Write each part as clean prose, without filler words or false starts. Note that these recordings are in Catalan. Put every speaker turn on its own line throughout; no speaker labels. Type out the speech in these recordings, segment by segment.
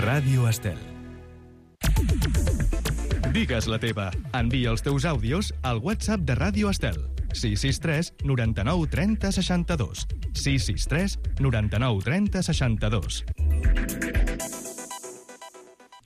Ràdio Estel. Digues la teva. Envia els teus àudios al WhatsApp de Ràdio Estel. 663 99 30 62. 663 99 30 62.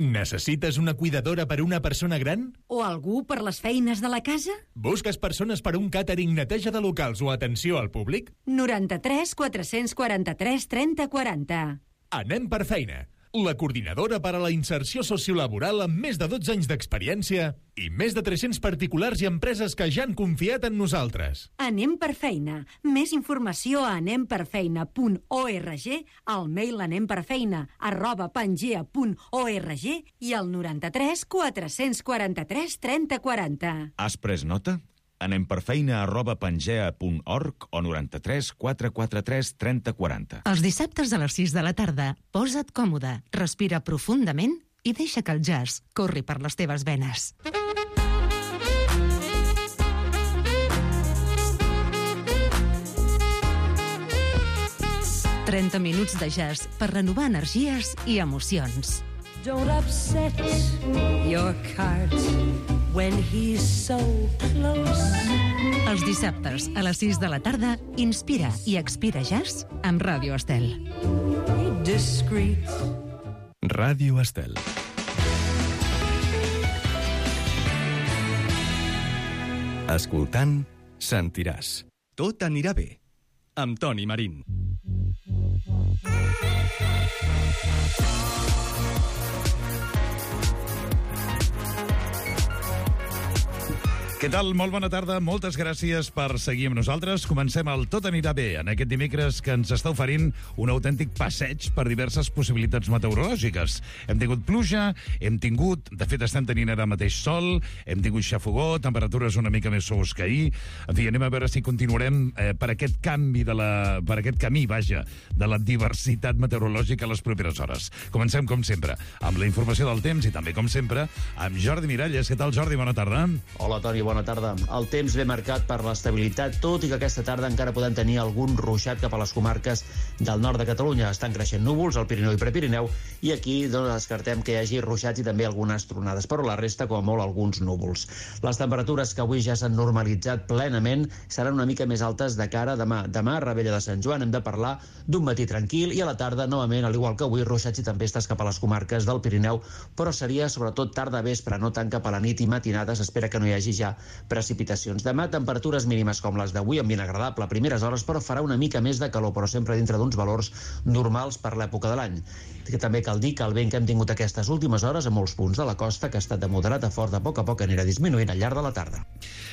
Necessites una cuidadora per una persona gran?
O algú per les feines de la casa?
Busques persones per un càtering, neteja de locals o atenció al públic?
93 443 30 40.
Anem per feina. La coordinadora per a la inserció sociolaboral amb més de 12 anys d'experiència i més de 300 particulars i empreses que ja han confiat en nosaltres.
Anem per feina. Més informació a anemperfeina.org, al mail anemperfeina@pangea.org i al 93 443 30 40.
Has pres nota? anemperfeina@pangea.org o 93 443 30 40.
Els dissabtes a les 6 de la tarda, posa't còmode, respira profundament i deixa que el jazz corri per les teves venes. «30 minuts de jazz per renovar energies i emocions».
Don't upset your cart when he's so close.
Els dissabtes a les 6 de la tarda, inspira i expira jazz amb Ràdio Estel.
Discreet.
Ràdio Estel. Escoltant, sentiràs. Tot anirà bé. Amb Toni Marín.
Què tal? Molt bona tarda, moltes gràcies per seguir amb nosaltres. Comencem el Tot anirà bé, en aquest dimecres que ens està oferint un autèntic passeig per diverses possibilitats meteorològiques. Hem tingut pluja, de fet estem tenint ara mateix sol, hem tingut xafogó, temperatures una mica més suaus que ahir. En fi, anem a veure si continuarem per aquest camí de la diversitat meteorològica a les properes hores. Comencem, com sempre, amb la informació del temps i també, com sempre, amb Jordi Miralles. Què tal, Jordi? Bona tarda.
Hola, Toni, bona tarda. El temps ve marcat per l'estabilitat, tot i que aquesta tarda encara podem tenir algun ruixat cap a les comarques del nord de Catalunya. Estan creixent núvols al Pirineu i Prepirineu i aquí descartem que hi hagi ruixats i també algunes tronades, però la resta, com a molt, alguns núvols. Les temperatures que avui ja s'han normalitzat plenament seran una mica més altes de cara a demà. Demà, Rebella de Sant Joan, hem de parlar d'un matí tranquil i a la tarda, novament, al igual que avui, ruixats i tempestes cap a les comarques del Pirineu, però seria sobretot tarda vespre, no tant cap a la nit i matinades. Espera que no hi hagi ja precipitacions. Demà, temperatures mínimes com les d'avui, ambient agradable a primeres hores, però farà una mica més de calor, però sempre dintre d'uns valors normals per l'època de l'any. Que també cal dir que el vent que hem tingut aquestes últimes hores a molts punts de la costa, que ha estat de moderat a fort, a poc anirà disminuint al llarg de la tarda.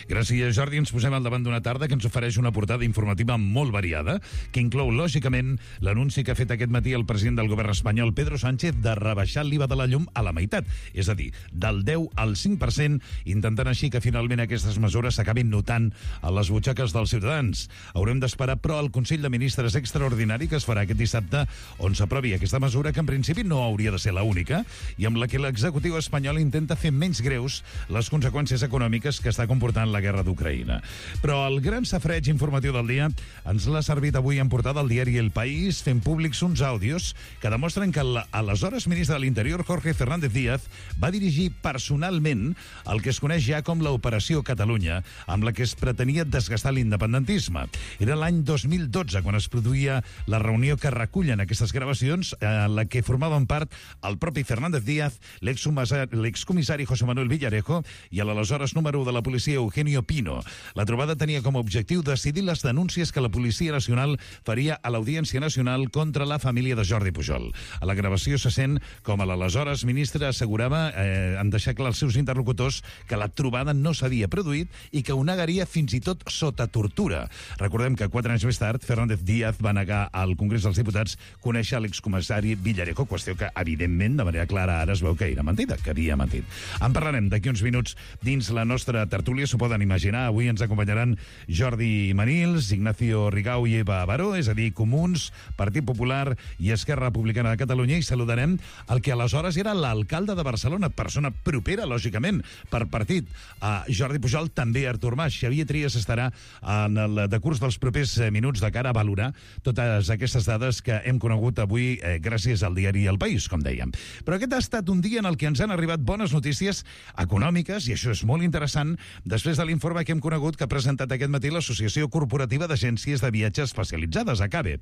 Gràcies, Jordi. Ens posem al davant d'una tarda que ens ofereix una portada informativa molt variada, que inclou, lògicament, l'anunci que ha fet aquest matí el president del govern espanyol, Pedro Sánchez, de rebaixar l'IVA de la llum a la meitat, és a dir, del 10 al 5%, intentant així que finalment aquestes mesures s'acabin notant a les butxaques dels ciutadans. Haurem d'esperar, però, el Consell de Ministres extraordinari que es farà aquest dissabte, on s'aprovi aquesta mesura, que en principi no hauria de ser l'única, i amb la que l'executiu espanyol intenta fer menys greus les conseqüències econòmiques que està comportant la guerra d'Ucraïna. Però el gran safreig informatiu del dia ens l'ha servit avui en portada al diari El País, fent públics uns àudios que demostren que l'aleshores ministre de l'Interior, Jorge Fernández Díaz, va dirigir personalment el que es coneix ja com l'Operació Catalunya, amb la que es pretenia desgastar l'independentisme. Era l'any 2012 quan es produïa la reunió que recullen aquestes gravacions, en la que formaven part el propi Fernández Díaz, l'excomissari José Manuel Villarejo i l'aleshores número de la policia Eugenio Pino. La trobada tenia com a objectiu decidir les denúncies que la Policia Nacional faria a l'Audiència Nacional contra la família de Jordi Pujol. A la gravació se sent com l'aleshores ministre assegurava, en deixar clar als seus interlocutors, que la trobada no s'havia produït i que ho negaria fins i tot sota tortura. Recordem que 4 anys més tard, Fernández Díaz va negar al Congrés dels Diputats conèixer l'excomissari Villarejo, qüestió que, evidentment, de manera clara ara es veu que era mentida, que havia mentit. En parlarem d'aquí uns minuts dins la nostra tertúlia, s'ho poden imaginar. Avui ens acompanyaran Jordi Manils, Ignacio Rigau i Eva Baró, és a dir, Comuns, Partit Popular i Esquerra Republicana de Catalunya, i saludarem el que aleshores era l'alcalde de Barcelona, persona propera, lògicament, per partit, a Jordi Pujol, també Artur Mas. Xavier Trias estarà en el decurs dels propers minuts de cara a valorar totes aquestes dades que hem conegut avui gràcies al diari El País, com dèiem. Però aquest ha estat un dia en el que ens han arribat bones notícies econòmiques, i això és molt interessant, després de l'informe que hem conegut que ha presentat aquest matí l'Associació Corporativa d'Agències de Viatges Especialitzades, ACABE.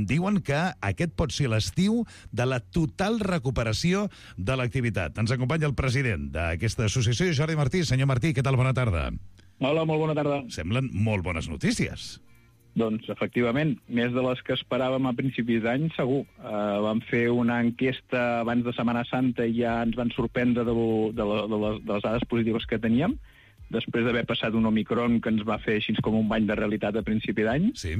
Diuen que aquest pot ser l'estiu de la total recuperació de l'activitat. Ens acompanya el president d'aquesta associació, Jordi Martí. Senyor Martí, què tal? Bona tarda.
Hola, molt bona tarda.
Semblen molt bones notícies.
Doncs, efectivament, més de les que esperàvem a principis d'any, segur. Vam fer una enquesta abans de Setmana Santa i ja ens van sorprendre de les dades positives que teníem, després d'haver passat un Omicron que ens va fer així com un bany de realitat a principi d'any.
Sí.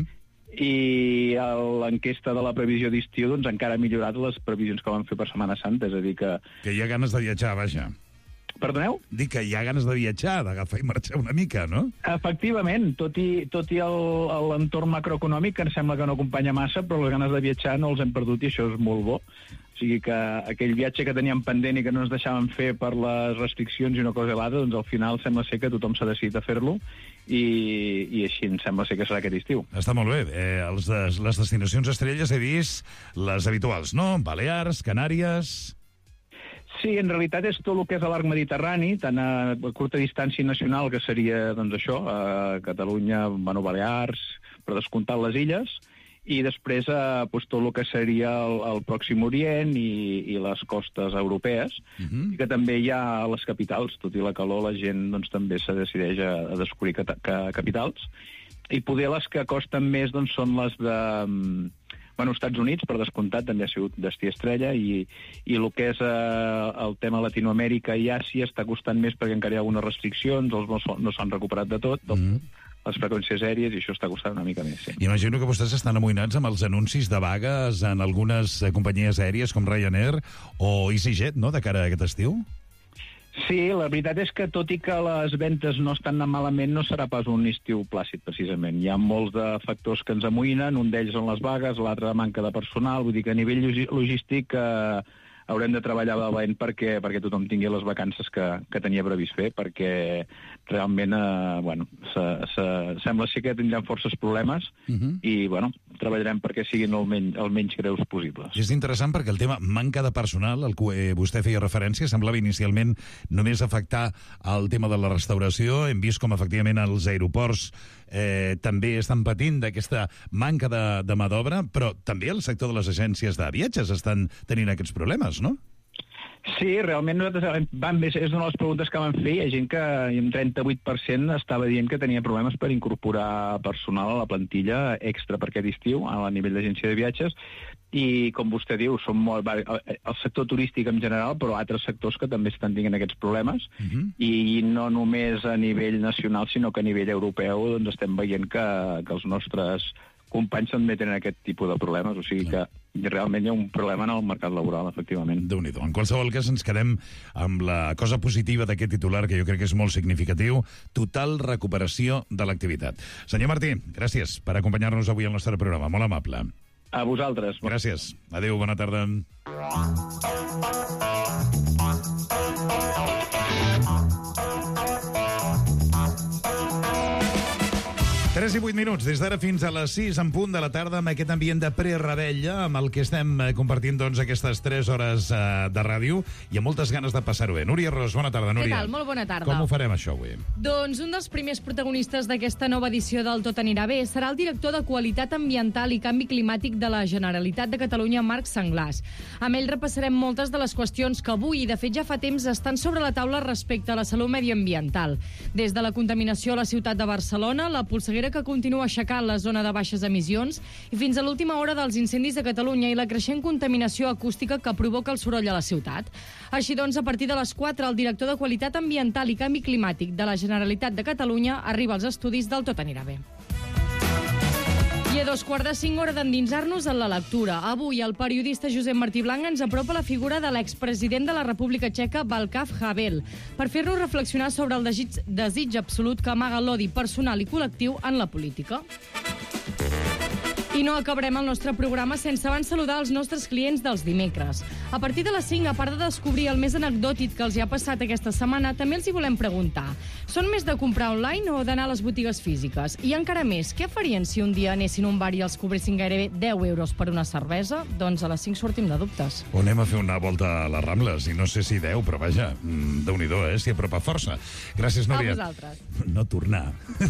I l'enquesta de la previsió d'estiu doncs, encara ha millorat les previsions que vam fer per Setmana Santa, és a dir que...
Que hi ha ganes de viatjar, vaja.
Perdoneu?
Dic que hi ha ganes de viatjar, d'agafar i marxar una mica, no?
Efectivament, tot i l'entorn macroeconòmic, que em sembla que no acompanya massa, però les ganes de viatjar no els hem perdut i això és molt bo. O sigui que aquell viatge que teníem pendent i que no ens deixaven fer per les restriccions i una cosa i l'altra, doncs al final sembla ser que tothom s'ha decidit a fer-lo i així em sembla ser que serà aquest estiu.
Està molt bé. Les destinacions estrelles he vist les habituals, no? Balears, Canàries...
Sí, en realitat és tot el que és a l'arc mediterrani, tant a curta distància nacional, que seria, doncs això, a Catalunya, Balears, per descomptar les illes, i després doncs, tot el que seria el Pròxim Orient i les costes europees, i que també hi ha a les capitals, tot i la calor, la gent doncs, també se decideix a descobrir capitals, i poder les que costen més doncs, són les de... Estats Units, per descomptat, també ha sigut destí estrella, i el que és el tema Latinoamèrica i Àsia està costant més perquè encara hi ha algunes restriccions, no s'han recuperat de tot, les freqüències aèries, i això està costant una mica més. Sí.
Imagino que vostès estan amoïnats amb els anuncis de vagues en algunes companyies aèries com Ryanair o EasyJet, no?, de cara a aquest estiu?
Sí, la veritat és que tot i que les ventes no estan anant malament, no serà pas un estiu plàcid, precisament. Hi ha molts de factors que ens amoïnen, un d'ells són les vagues, l'altre la manca de personal, vull dir que a nivell logístic haurem de treballar valent perquè tothom tingui les vacances que tenia previst fer, perquè realment sembla ser que tindrem forces problemes i treballarem perquè siguin el menys greus possibles.
És interessant perquè el tema manca de personal, al que vostè feia referència, semblava inicialment només afectar el tema de la restauració. Hem vist com efectivament els aeroports també estan patint d'aquesta manca de mà d'obra, però també el sector de les agències de viatges estan tenint aquests problemes, no?
Sí, realment nosaltres és una de les preguntes que vam fer. Hi ha gent que un 38% estava dient que tenia problemes per incorporar personal a la plantilla extra per aquest estiu a nivell d'agència de viatges, i com vostè diu, són molt el sector turístic en general, però altres sectors que també estan tenint aquests problemes, i no només a nivell nacional, sinó que a nivell europeu doncs estem veient que els nostres companys també tenen aquest tipus de problemes, o sigui que realment hi ha un problema en el mercat laboral, efectivament.
Déu-n'hi-do. En qualsevol cas, ens quedem amb la cosa positiva d'aquest titular, que jo crec que és molt significatiu: total recuperació de l'activitat. Senyor Martí, gràcies per acompanyar-nos avui al nostre programa. Molt amable.
A vosaltres.
Gràcies. Adéu, bona tarda. 3 i 8 minuts, des d'ara fins a les 6 en punt de la tarda, amb aquest ambient de prerebella amb el que estem compartint doncs, aquestes 3 hores de ràdio, i amb moltes ganes de passar-ho bé. Núria Ros, bona tarda, Núria.
Què tal? Molt bona tarda.
Com ho farem, això, avui?
Doncs un dels primers protagonistes d'aquesta nova edició del Tot anirà bé serà el director de Qualitat Ambiental i Canvi Climàtic de la Generalitat de Catalunya, Marc Senglars. Amb ell repassarem moltes de les qüestions que avui, i de fet ja fa temps, estan sobre la taula respecte a la salut mediambiental. Des de la contaminació a la ciutat de Barcelona, la polseguera que continua aixecant la zona de baixes emissions, i fins a l'última hora dels incendis de Catalunya i la creixent contaminació acústica que provoca el soroll a la ciutat. Així doncs, a partir de les 4, el director de Qualitat Ambiental i Canvi Climàtic de la Generalitat de Catalunya arriba als estudis del Tot anirà bé. I a 4:45, hora d'endinsar-nos en la lectura. Avui, el periodista Josep Martí Blanc ens apropa la figura de l'expresident de la República Txeca, Václav Havel, per fer-nos reflexionar sobre el desig absolut que amaga l'odi personal i col·lectiu en la política. I no acabarem el nostre programa sense abans saludar els nostres clients dels dimecres. A partir de les 5, a part de descobrir el més anecdòtic que els hi ha passat aquesta setmana, també els hi volem preguntar. Són més de comprar online o d'anar a les botigues físiques? I encara més, què farien si un dia anessin a un bar i els cobressin gairebé 10 euros per una cervesa? Doncs a les 5 sortim de dubtes.
O anem a fer una volta a les Rambles, i no sé si 10, però vaja, Déu-n'hi-do, s'hi apropa força. Gràcies, Núria.
A vosaltres.
No tornar.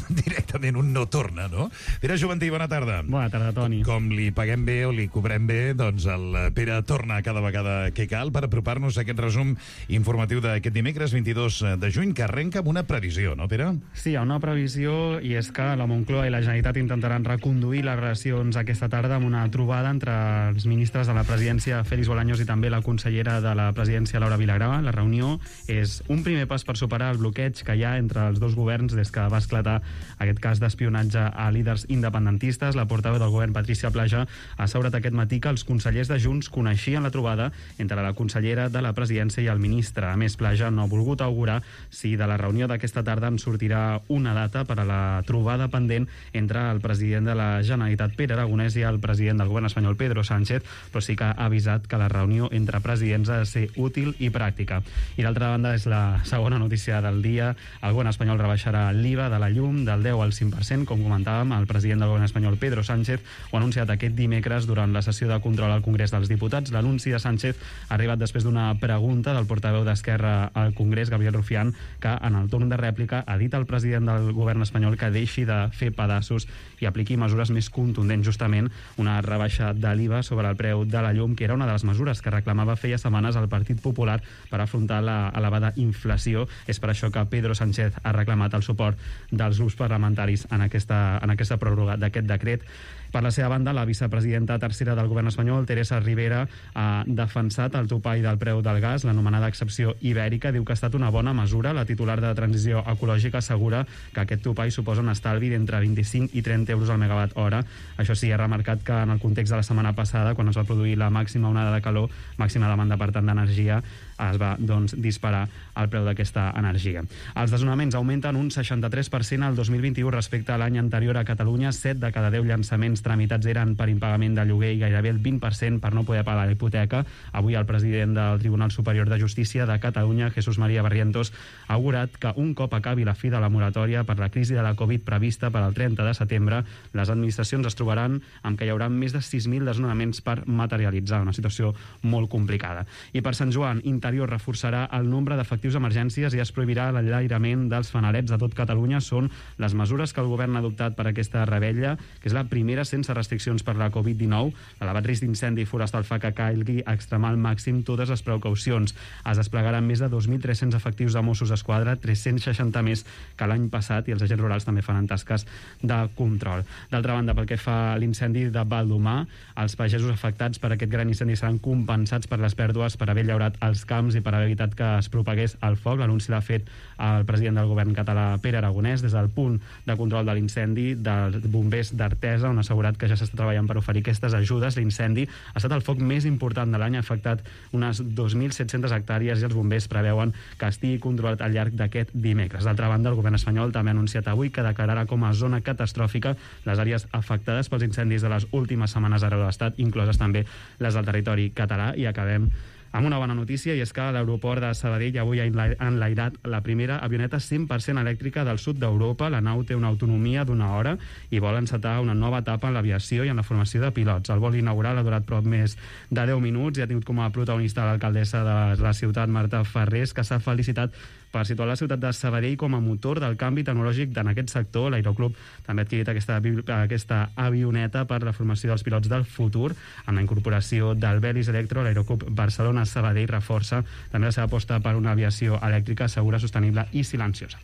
Directament un no torna, no? Pere Joventí, bona tarda.
Bona tarda, Toni.
Com li paguem bé o li cobrem bé, doncs el Pere torna cada vegada que cal per apropar-nos a aquest resum informatiu d'aquest dimecres 22 de juny, que arrenca amb una previsió, no, Pere?
Sí, hi ha una previsió, i és que la Moncloa i la Generalitat intentaran reconduir les relacions aquesta tarda amb una trobada entre els ministres de la presidència, Félix Bolaños, i també la consellera de la presidència, Laura Vilagrà. La reunió és un primer pas per superar el bloqueig que hi ha entre els dos governs des que va esclatar aquest cas d'espionatge a líders independentistes. La portaveu del govern, Patricia Plaja, ha assegurat aquest matí que els consellers de Junts coneixien la trobada entre la consellera de la presidència i el ministre. A més, Plaja no ha volgut augurar si de la reunió d'aquesta tarda en sortirà una data per a la trobada pendent entre el president de la Generalitat, Pere Aragonès, i el president del govern espanyol, Pedro Sánchez, però sí que ha avisat que la reunió entre presidents ha de ser útil i pràctica. I d'altra banda, és la segona notícia del dia. El govern espanyol rebaixarà l'IVA de la llum del 10 al 5%, com comentàvem. El president del govern espanyol, Pedro Sánchez, ho ha anunciat aquest dimecres durant la sessió de control al Congrés dels Diputats. L'anunci de Sánchez ha arribat després d'una pregunta del portaveu d'Esquerra al Congrés, Gabriel Rufián, que en el torn de rèplica ha dit al president del govern espanyol que deixi de fer pedaços i apliqui mesures més contundents, justament una rebaixa de l'IVA sobre el preu de la llum, que era una de les mesures que reclamava feia setmanes el Partit Popular per afrontar la elevada inflació. És per això que Pedro Sánchez ha reclamat el suport dels grups parlamentaris en aquesta pròrroga d'aquest decret. Per la seva banda, la vicepresidenta tercera del govern espanyol, Teresa Rivera, ha defensat el topall del preu del gas, l'anomenada excepció ibèrica. Diu que ha estat una bona mesura. La titular de Transició Ecològica assegura que aquest topall suposa un estalvi d'entre 25 i 30 euros al megawatt hora. Això sí, ha remarcat que en el context de la setmana passada, quan es va produir la màxima onada de calor, màxima demanda, per tant, d'energia, es va, doncs, disparar el preu d'aquesta energia. Els desnonaments augmenten un 63% al 2021 respecte a l'any anterior a Catalunya. 7 de cada 10 llançaments tramitats eren per impagament de lloguer i gairebé el 20% per no poder pagar la hipoteca. Avui el president del Tribunal Superior de Justícia de Catalunya, Jesús María Barrientos, ha augurat que un cop acabi la fi de la moratòria per la crisi de la Covid prevista per al 30 de setembre, les administracions es trobaran amb que hi haurà més de 6.000 desnonaments per materialitzar, una situació molt complicada. I per Sant Joan, Interior reforçarà el nombre d'efectius d'emergències i es prohibirà l'enlairament dels fanalets a tot Catalunya. Són les mesures que el govern ha adoptat per aquesta rebella, que és la primera sense restriccions per la Covid-19. L'elevat risc d'incendi forestal fa que calgui extremar al màxim totes les precaucions. Es desplegaran més de 2.300 efectius de Mossos d'Esquadra, 360 més que l'any passat, i els agents rurals també faran tasques de control. D'altra banda, pel que fa a l'incendi de Baldomar, els pagesos afectats per aquest gran incendi seran compensats per les pèrdues per haver llaurat els camps i per haver evitat que es propagués el foc. L'anunci l'ha fet el president del govern català, Pere Aragonès, des del punt de control de l'incendi dels bombers d'Artesa, on ha assegurat que ja s'està treballant per oferir aquestes ajudes. L'incendi ha estat el foc més important de l'any, ha afectat unes 2.700 hectàrees i els bombers preveuen que estigui controlat al llarg d'aquest dimecres. D'altra banda, el govern espanyol també ha anunciat avui que declararà com a zona catastròfica les àrees afectades pels incendis de les últimes setmanes arreu de l'Estat, incloses també les del territori català. I acabem amb una bona notícia, i és que l'aeroport de Sabadell avui ha enlairat la primera avioneta 100% elèctrica del sud d'Europa. La nau té una autonomia d'1 hora i vol encetar una nova etapa en l'aviació i en la formació de pilots. El vol inaugural ha durat prop més de 10 minuts i ha tingut com a protagonista l'alcaldessa de la ciutat, Marta Ferrés, que s'ha felicitat per situar la ciutat de Sabadell com a motor del canvi tecnològic en aquest sector. L'aeroclub també ha adquirit aquesta avioneta per la formació dels pilots del futur. Amb la incorporació del Belis Electro, l'aeroclub Barcelona-Sabadell reforça també la seva aposta per una aviació elèctrica segura, sostenible i silenciosa.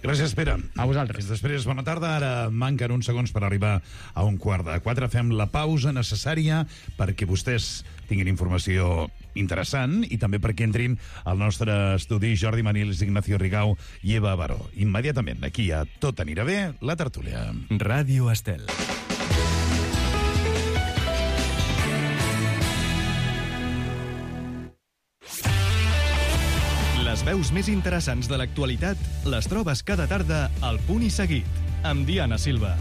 Gràcies, Pere.
A vosaltres.
Després, bona tarda. Ara manquen uns segons per arribar a 3:15. Fem la pausa necessària perquè vostès tinguin informació interessant i també perquè entrin al nostre estudi Jordi Manils, Ignacio Rigau i Eva Baró. Immediatament, aquí a Tot anirà bé, la tertúlia.
Ràdio Estel. Les veus més interessants de l'actualitat les trobes cada tarda al Punt i Seguit, amb Diana Silva.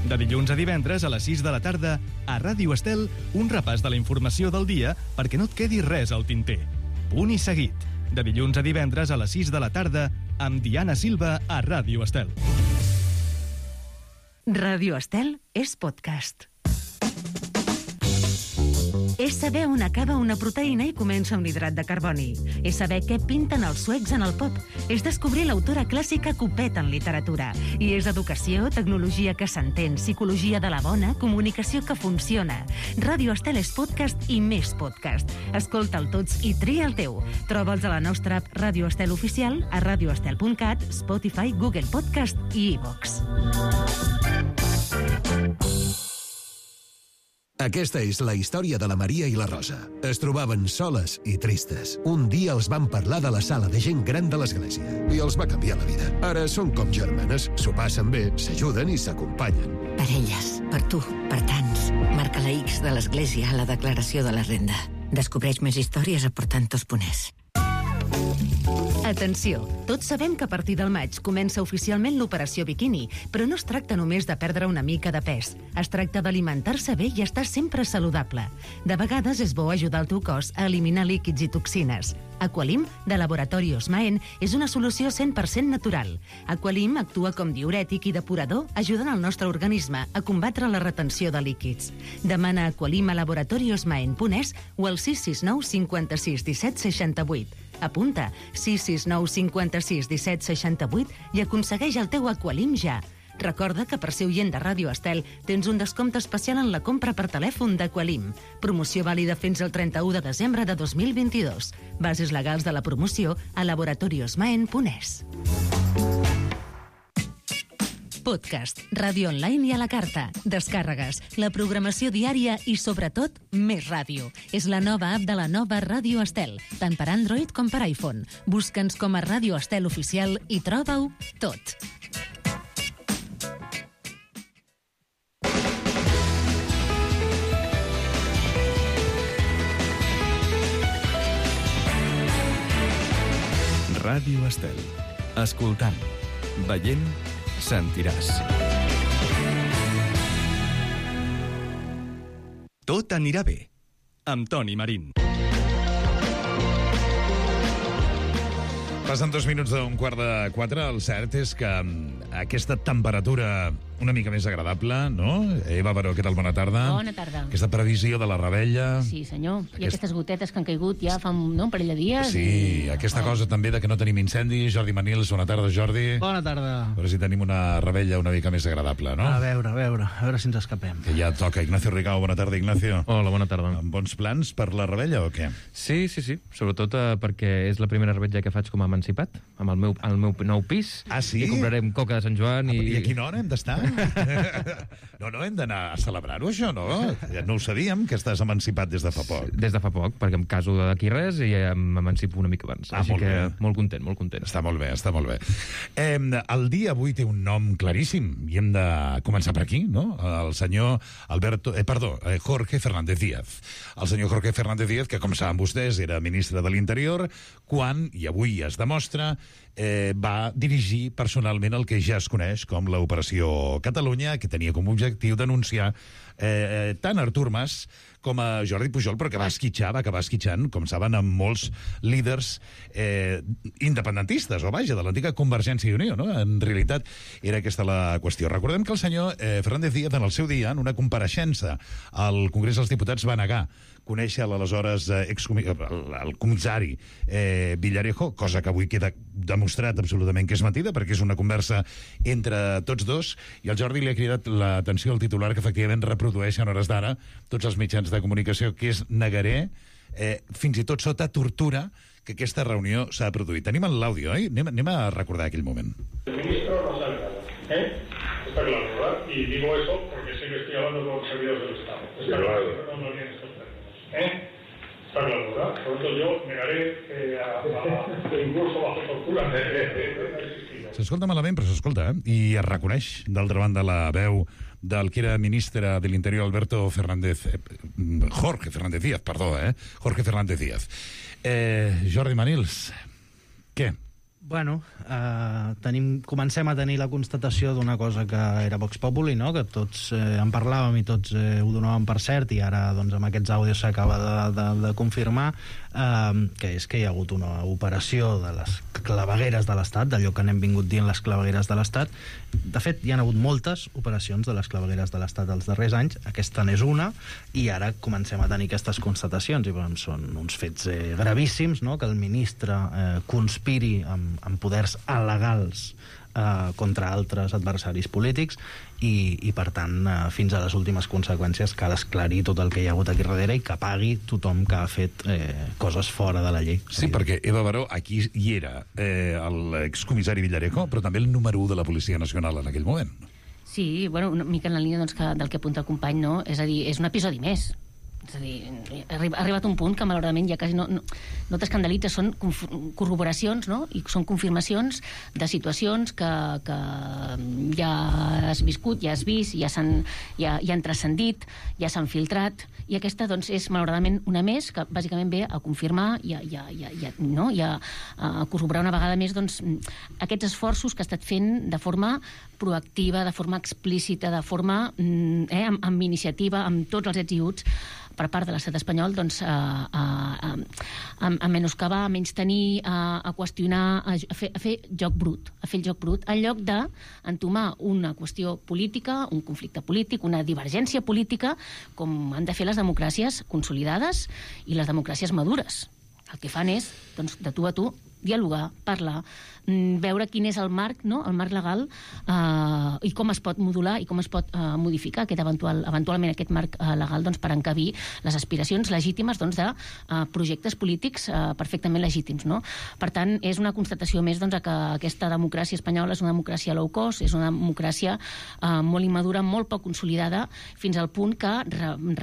De dilluns a divendres a les 6 de la tarda, a Ràdio Estel, un repàs de la informació del dia perquè no et quedi res al tinter. Punt i seguit. De dilluns a divendres a les 6 de la tarda, amb Diana Silva a Ràdio Estel.
Ràdio Estel és podcast. És saber on acaba una proteïna i comença un hidrat de carboni. És saber què pinten els suecs en el pop. És descobrir l'autora clàssica Copet en literatura. I és educació, tecnologia que s'entén, psicologia de la bona, comunicació que funciona. Ràdio Estel és podcast i més podcast. Escolta'l tots i tria el teu. Troba'ls a la nostra app Ràdio Estel oficial, a radioestel.cat, Spotify, Google Podcast i iVox.
Aquesta és la història de la Maria i la Rosa. Es trobaven soles i tristes. Un dia els van parlar de la sala de gent gran de l'església i els va canviar la vida. Ara són com germanes, s'ho passen bé, s'ajuden i s'acompanyen.
Per elles, per tu, per tants. Marca la X de l'església a la declaració de la renda. Descobreix més històries a portantos.es.
Atenció, tots sabem que a partir del maig comença oficialment l'operació biquini, però no es tracta només de perdre una mica de pes. Es tracta d'alimentar-se bé i estar sempre saludable. De vegades és bo ajudar el teu cos a eliminar líquids i toxines. Aqualim, de Laboratori Osmaen, és una solució 100% natural. Aqualim actua com diürètic i depurador, ajudant el nostre organisme a combatre la retenció de líquids. Demana Aqualim a laboratoriosmaen.es o al 669 56 17 68. Apunta 669 56 17 68 i aconsegueix el teu Aqualim ja. Recorda que per ser oient de Ràdio Estel tens un descompte especial en la compra per telèfon d'Aqualim. Promoció vàlida fins al 31 de desembre de 2022. Bases legals de la promoció a laboratoriosmaen.es. Podcast, ràdio online i a la carta, descàrregues, la programació diària i, sobretot, més ràdio. És la nova app de la nova Ràdio Estel, tant per Android com per iPhone. Busca'ns com a Ràdio Estel Oficial i troba-ho tot.
Ràdio Estel. Escoltant, veient, sentiràs. Tot anirà bé, amb Toni Marín.
Passen 2 minuts d'un 3:45. El cert és que aquesta temperatura una mica més agradable, no? Eva Baró, què tal? Bona tarda.
Bona tarda.
Aquesta previsió de la rebella.
Sí, senyor. I aquestes gotetes que han caigut ja fa un parell de dies.
Sí, aquesta cosa també de que no tenim incendis. Jordi Manils, bona tarda, Jordi.
Bona tarda.
A veure si tenim una rebella una mica més agradable, no?
A veure si ens escapem.
Que ja toca. Ignacio Rigao, bona tarda, Ignacio.
Hola, bona tarda.
Amb bons plans per la rebella o què?
Sí. Sobretot perquè és la primera rebella que faig com a emancipat, amb el meu nou pis.
Ah, sí?
I comprarem coca de Sant Joan i...
I a quina hora hem d'estar? No, hem d'anar a celebrar-ho, això, no? Ja no ho sabíem, que estàs emancipat des de fa poc.
Des de fa poc, perquè em caso d'aquí res i m'emancipo una mica abans. Així que molt content.
Està molt bé. El dia avui té un nom claríssim i hem de començar per aquí, no? El senyor Jorge Fernández Díaz. El senyor Jorge Fernández Díaz, que com saben vostès era ministre de l'Interior, quan, i avui es demostra, va dirigir personalment el que ja es coneix com l'Operació Catalunya, que tenia com a objectiu denunciar tant Artur Mas com a Jordi Pujol, però que va acabar esquitxant, com saben, amb molts líders independentistes, o vaja, de l'antiga Convergència i Unió, no? En realitat era aquesta la qüestió. Recordem que el senyor Fernández Díaz, en el seu dia, en una compareixença al Congrés dels Diputats, va negar conèixer l'aleshores el comissari Villarejo, cosa que avui queda demostrat absolutament que és mentida, perquè és una conversa entre tots dos, i el Jordi li ha cridat l'atenció al titular que efectivament reprodueixen hores d'ara tots els mitjans de comunicació, que és negaré, fins i tot sota tortura, que aquesta reunió s'ha produït. Tenim l'àudio, oi? Anem a recordar aquell moment.
El ministro no sabe nada, está claro, ¿verdad? Y digo eso porque sé que estoy hablando con los servidores del Estado. Está claro, no lo tienen estos términos. Está claro, ¿verdad? Por lo tanto, yo negaré incluso bajo tortura.
S'escolta malament, però s'escolta, i es reconeix, d'altra banda, la veu del que era ministre de l'Interior, Jorge Fernández Díaz. Jorge Fernández Díaz. Jordi Manils, què?
Bueno, comencem a tenir la constatació d'una cosa que era Vox Populi, no? Que tots en parlàvem i tots ho donàvem per cert, i ara doncs, amb aquests àudios s'acaba de confirmar, que és que hi ha hagut una operació de les clavegueres de l'Estat, d'allò que n'hem vingut dient les clavegueres de l'Estat. De fet, hi ha hagut moltes operacions de les clavegueres de l'Estat els darrers anys, aquesta n'és una, i ara comencem a tenir aquestes constatacions, i són uns fets gravíssims, no? Que el ministre conspiri amb poders alegals contra altres adversaris polítics i per tant, fins a les últimes conseqüències cal esclarir tot el que hi ha hagut aquí darrere i que pagui tothom que ha fet coses fora de la llei.
Sí, perquè Eva Baró, aquí hi era l'excomissari Villarejo, però també el número 1 de la Policia Nacional en aquell moment.
Sí, bueno, una mica en la línia del que apunta el company, no? És a dir, és un episodi més. És a dir, ha arribat un punt que malauradament ja quasi no t'escandalitza, són corroboracions, no? I són confirmacions de situacions que ja has viscut, ja has vist, ja han transcendit, ja s'han filtrat, i aquesta doncs, és malauradament una més que bàsicament ve a confirmar i a corroborar una vegada més doncs, aquests esforços que ha estat fent de forma proactiva, de forma explícita, de forma amb iniciativa, amb tots els ets i uts per part de l'estat espanyol doncs, a menoscabar, a menystenir, a qüestionar, a fer joc brut, en lloc d'entomar una qüestió política, un conflicte polític, una divergència política, com han de fer les democràcies consolidades i les democràcies madures. El que fan és, doncs, de tu a tu, dialogar, parlar, veure quin és el marc, no? El marc legal i com es pot modular i com es pot modificar eventualment aquest marc legal doncs, per encabir les aspiracions legítimes doncs, de projectes polítics perfectament legítims. No? Per tant, és una constatació més doncs, que aquesta democràcia espanyola és una democràcia low cost, és una democràcia molt immadura, molt poc consolidada, fins al punt que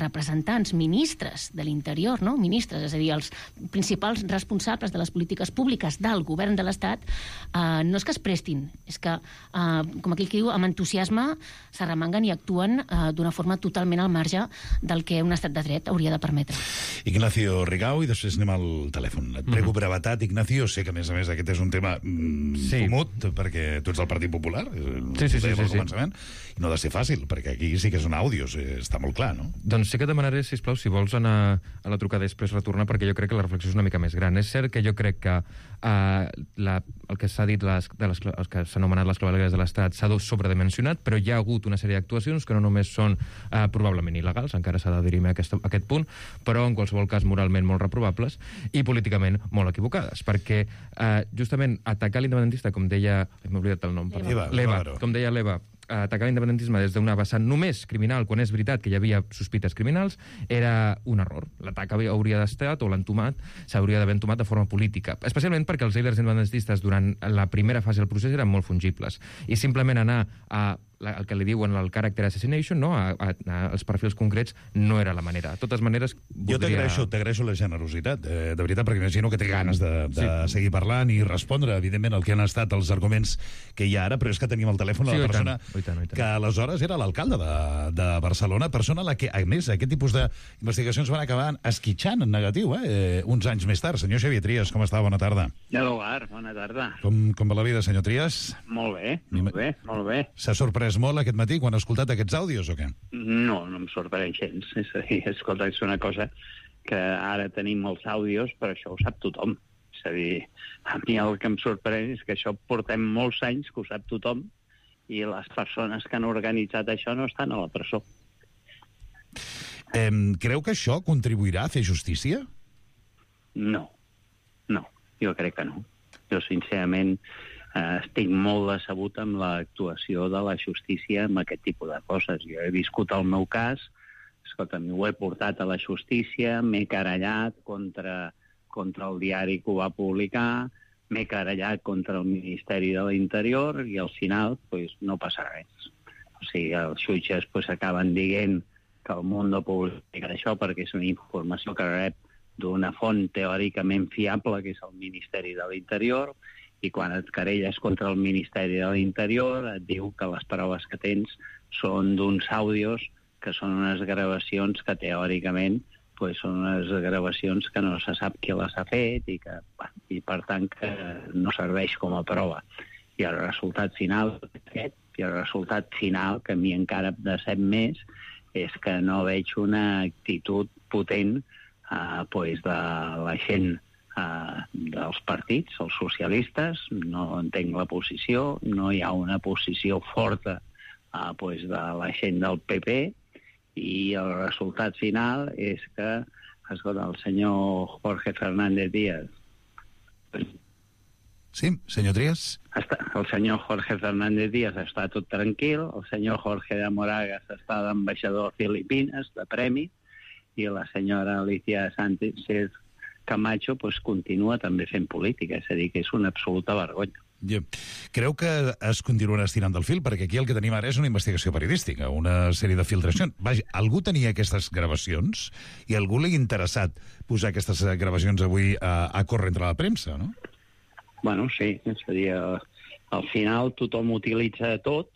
representants, ministres de l'interior, no? Ministres, és a dir, els principals responsables de les polítiques públiques del govern de l'Estat, no és que es prestin, és que, com aquell que diu, amb entusiasme s'arremanguen i actuen d'una forma totalment al marge del que un estat de dret hauria de permetre.
Ignacio Rigau, i després anem al telèfon. Et prego brevetat, Ignacio. Sé que, a més aquest és un tema fumut, perquè tu ets del Partit Popular,
sí.
Començament, i no ha de ser fàcil, perquè aquí sí que són àudios, està molt clar, no?
Doncs sí que demanaré, sisplau, si vols anar a la trucada després retornar, perquè jo crec que la reflexió és una mica més gran. És cert que jo crec que el que s'ha dit, el que s'ha anomenat les clavegueres de l'Estat, s'ha sobredimensionat, però hi ha hagut una sèrie d'actuacions que no només són probablement il·legals, encara s'ha de dirimir a aquest punt, però en qualsevol cas moralment molt reprovables i políticament molt equivocades, perquè justament atacar l'independentisme, com deia... M'he oblidat el nom.
L'Eva.
Com deia l'Eva, atacar l'independentisme des d'una vessant només criminal, quan és veritat que hi havia sospites criminals, era un error. L'atac hauria d'estar, o l'entomat, s'hauria d'haver entomat de forma política. Especialment perquè els líders independentistes durant la primera fase del procés eren molt fungibles. I simplement anar a el que li diuen el character assassination, no? als perfils concrets, no era la manera. De totes maneres...
Jo t'agraeixo la generositat, de veritat, perquè imagino que té ganes de seguir parlant i respondre, evidentment, el que han estat els arguments que hi ha ara, però és que tenim al telèfon la persona que aleshores era l'alcalde de Barcelona, persona a la que, a més, aquest tipus d'investigacions van acabar esquitxant en negatiu, uns anys més tard. Senyor Xavier Trias, com està? Bona tarda.
Bona tarda.
Com va la vida, senyor Trias?
Molt bé.
S'ha sorprès molt aquest matí quan ha escoltat aquests àudios o què?
No em sorprèn gens. És a dir, escolta, és una cosa que ara tenim molts àudios, però això ho sap tothom. És a dir, a mi el que em sorprèn és que això portem molts anys que ho sap tothom i les persones que han organitzat això no estan a la presó.
Creu que això contribuirà a fer justícia?
No, jo crec que no. Jo, sincerament, estic molt decebut amb l'actuació de la justícia amb aquest tipus de coses. Jo he viscut el meu cas, escolta'm, ho he portat a la justícia, m'he querellat contra el diari que ho va publicar, m'he querellat contra el Ministeri de l'Interior i al final no passa res. O sigui, els jutges acaben dient que el món no publica això perquè és una informació que rep d'una font teòricament fiable, que és el Ministeri de l'Interior, i quan et querelles contra el Ministeri de l'Interior et diu que les proves que tens són d'uns àudios que són unes gravacions que teòricament pues són unes gravacions que no se sap qui les ha fet i per tant que no serveix com a prova. I el resultat final que a mi encara em decep més és que no veig una actitud potent de la gent dels partits, els socialistes. No entenc la posició, no hi ha una posició forta de la gent del PP, i el resultat final és que, escolta, el senyor Jorge Fernández Díaz...
Sí, senyor Trias?
El senyor Jorge Fernández Díaz està tot tranquil, el senyor Jorge de Moragas està d'ambaixador a Filipines, de premi, i la senyora Alicia Sánchez Camacho continua també fent política, és a dir, que és una absoluta vergonya.
Creu que es continuarà estirant del fil? Perquè aquí el que tenim ara és una investigació periodística, una sèrie de filtracions. Vaja, algú tenia aquestes gravacions i algú li ha interessat posar aquestes gravacions avui a córrer entre la premsa, no?
Bueno, sí, és a dir, al final tothom utilitza tot,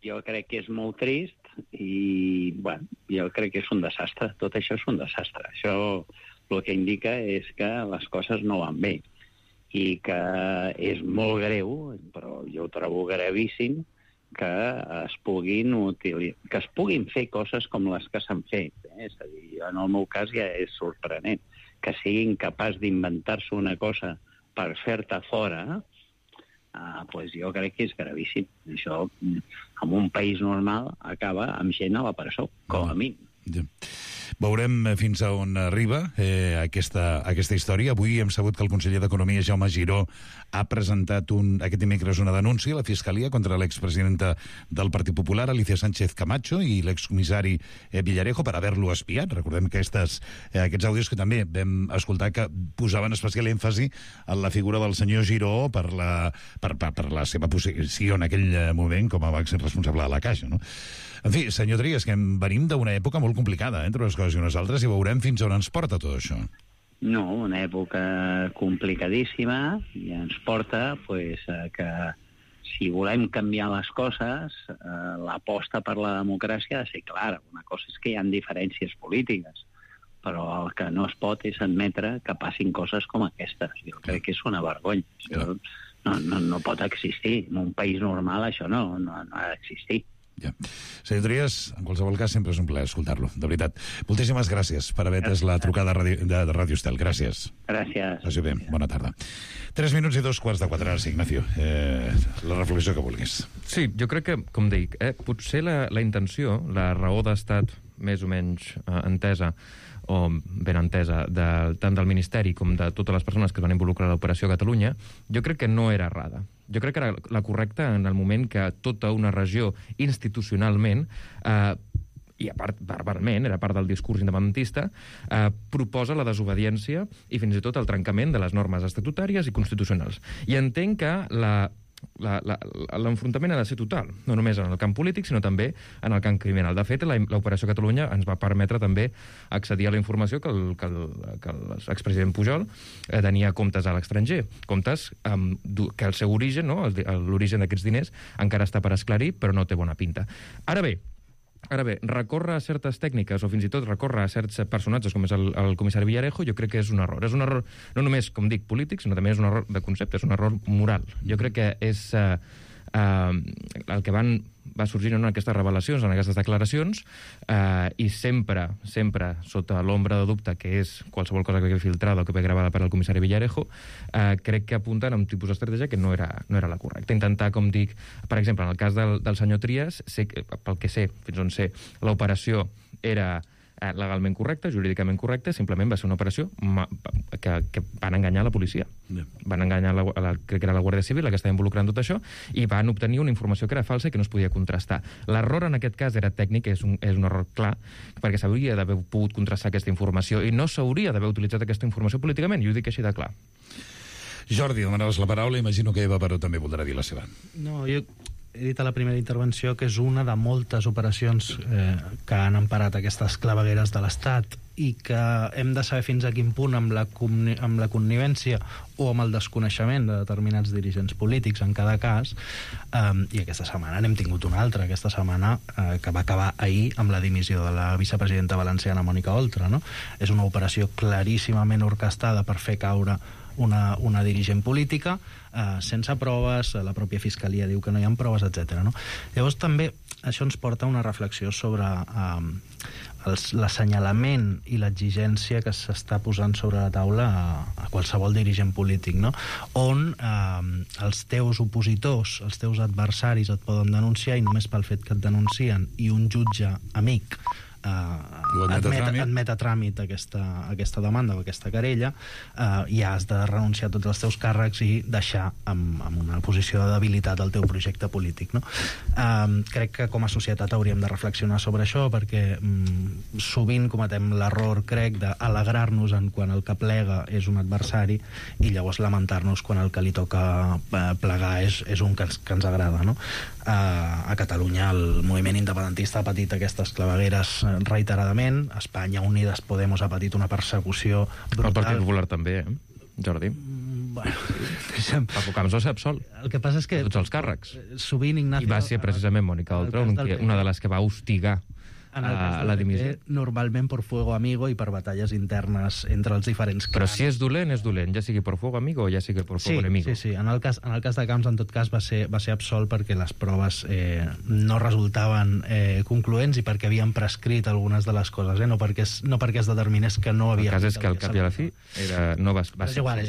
jo crec que és molt trist i, bueno, jo crec que és un desastre, tot això és un desastre. Això el que indica és que les coses no van bé i que és molt greu, però jo ho trobo gravíssim, que es puguin fer coses com les que s'han fet. És a dir, en el meu cas ja és sorprenent que siguin capaç d'inventar-se una cosa per fer-te fora, jo crec que és gravíssim. Això, en un país normal, acaba amb gent a la presó, com a mínim.
Veurem fins a on arriba aquesta història. Avui hem sabut que el conseller d'Economia, Jaume Giró, ha presentat aquest dimecres una denúncia a la Fiscalia contra l'expresidenta del Partit Popular, Alicia Sánchez Camacho, i l'excomissari Villarejo per haver-lo espiat. Recordem que aquests àudios que també vam escoltar que posaven especial èmfasi en la figura del senyor Giró per la seva posició en aquell moment com a màxim responsable de la Caixa, no? En fi, senyor Trias, que venim d'una època molt complicada, entre unes coses i unes altres, i veurem fins on ens porta tot això.
No, una època complicadíssima, i ens porta que si volem canviar les coses, l'aposta per la democràcia ha de ser clara. Una cosa és que hi ha diferències polítiques, però el que no es pot és admetre que passin coses com aquestes. Jo crec que és una vergonya. Això no pot existir. En un país normal això no ha d'existir.
Senyor Trias, en qualsevol cas sempre és un plaer escoltar-lo, de veritat. Moltíssimes gràcies per haver atès la trucada de Ràdio Estel. Gràcies.
Gràcies.
Passi bé, bona tarda. 3 minuts i 2:15, ara sí, Ignacio. La reflexió que vulguis.
Sí, jo crec que, com dic, potser la intenció, la raó d'estat més o menys entesa o ben entesa tant del Ministeri com de totes les persones que es van involucrar a l'Operació Catalunya, jo crec que no era errada. Jo crec que era la correcta en el moment que tota una regió institucionalment i a part, verbalment, era part del discurs independentista, proposa la desobediència i fins i tot el trencament de les normes estatutàries i constitucionals. I entenc que l'enfrontament ha de ser total, no només en el camp polític, sinó també en el camp criminal. De fet, l'Operació Catalunya ens va permetre també accedir a la informació que l'expresident Pujol tenia comptes a l'estranger, comptes que el seu origen, l'origen d'aquests diners, encara està per esclarir, però no té bona pinta. Ara bé, recórrer a certes tècniques o fins i tot recórrer a certs personatges com és el comissari Villarejo, jo crec que és un error. És un error no només, com dic, polític, sinó també és un error de concepte, és un error moral. Jo crec que és el que va sorgint en aquestes revelacions, en aquestes declaracions, i sempre sota l'ombra de dubte que és qualsevol cosa que ve filtrada o que ve gravada per al comissari Villarejo, crec que apunten a un tipus d'estratègia que no era la correcta. Intentar, com dic, per exemple, en el cas del senyor Trias, pel que sé, fins on sé, l'operació era legalment correcta, jurídicament correcta, simplement va ser una operació que van enganyar la policia. Van enganyar, crec que era la Guàrdia Civil, la que estava involucrant tot això, i van obtenir una informació que era falsa i que no es podia contrastar. L'error en aquest cas era tècnic, és un error clar, perquè s'hauria d'haver pogut contrastar aquesta informació i no s'hauria d'haver utilitzat aquesta informació políticament, i ho dic així de clar.
Jordi, demanaves la paraula, imagino que Eva Baró també voldrà dir la seva.
No, jo he dit a la primera intervenció que és una de moltes operacions que han emparat aquestes clavegueres de l'Estat i que hem de saber fins a quin punt amb la connivència o amb el desconeixement de determinats dirigents polítics en cada cas, i aquesta setmana n'hem tingut una altra, aquesta setmana que va acabar ahir amb la dimissió de la vicepresidenta valenciana Mònica Oltra, no? És una operació claríssimament orquestada per fer caure una dirigent política sense proves, la pròpia fiscalia diu que no hi ha proves, etc. No? Llavors també això ens porta a una reflexió sobre l'assenyalament i l'exigència que s'està posant sobre la taula a qualsevol dirigent polític, no? On els teus opositors, els teus adversaris et poden denunciar i només pel fet que et denuncien i un jutge amic admet a tràmit aquesta demanda o aquesta querella, ja has de renunciar a tots els teus càrrecs i deixar amb una posició de debilitat el teu projecte polític, no? Crec que com a societat hauríem de reflexionar sobre això, perquè sovint cometem l'error, crec, d'alegrar-nos en quan el que plega és un adversari i llavors lamentar-nos quan el que li toca plegar és un que ens agrada, no? A Catalunya el moviment independentista ha patit aquestes clavegueres reiteradament. Espanya Unides Podemos ha patit una persecució brutal.
El Partit Popular també, Jordi?
Bueno,
Paco Camps ho sap sol.
El que passa és que
tots els càrrecs.
Sovint Ignacio...
I va ser precisament Mònica Oltra una de les que va hostigar a la dimissió.
Normalment per fuego amigo i per batalles internes entre els diferents clans.
Però si és dolent, ja sigui per fuego amigo o ja sigui per fuego enemigo.
Sí. En el cas de Camps, en tot cas, va ser absolt perquè les proves no resultaven concloents i perquè havien prescrit algunes de les coses, no perquè es determinés que no havia...
El cas és que al cap i a la fi no va ser...
Igual,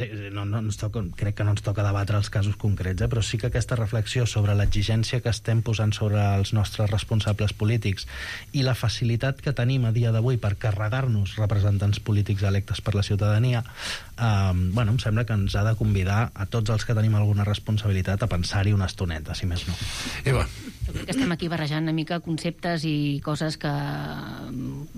crec que no ens toca debatre els casos concrets, però sí que aquesta reflexió sobre l'exigència que estem posant sobre els nostres responsables polítics i la facilitat que tenim a dia d'avui per carregar-nos representants polítics electes per la ciutadania, em sembla que ens ha de convidar a tots els que tenim alguna responsabilitat a pensar-hi una estoneta, si més no.
Eva.
Jo crec que estem aquí barrejant una mica conceptes i coses que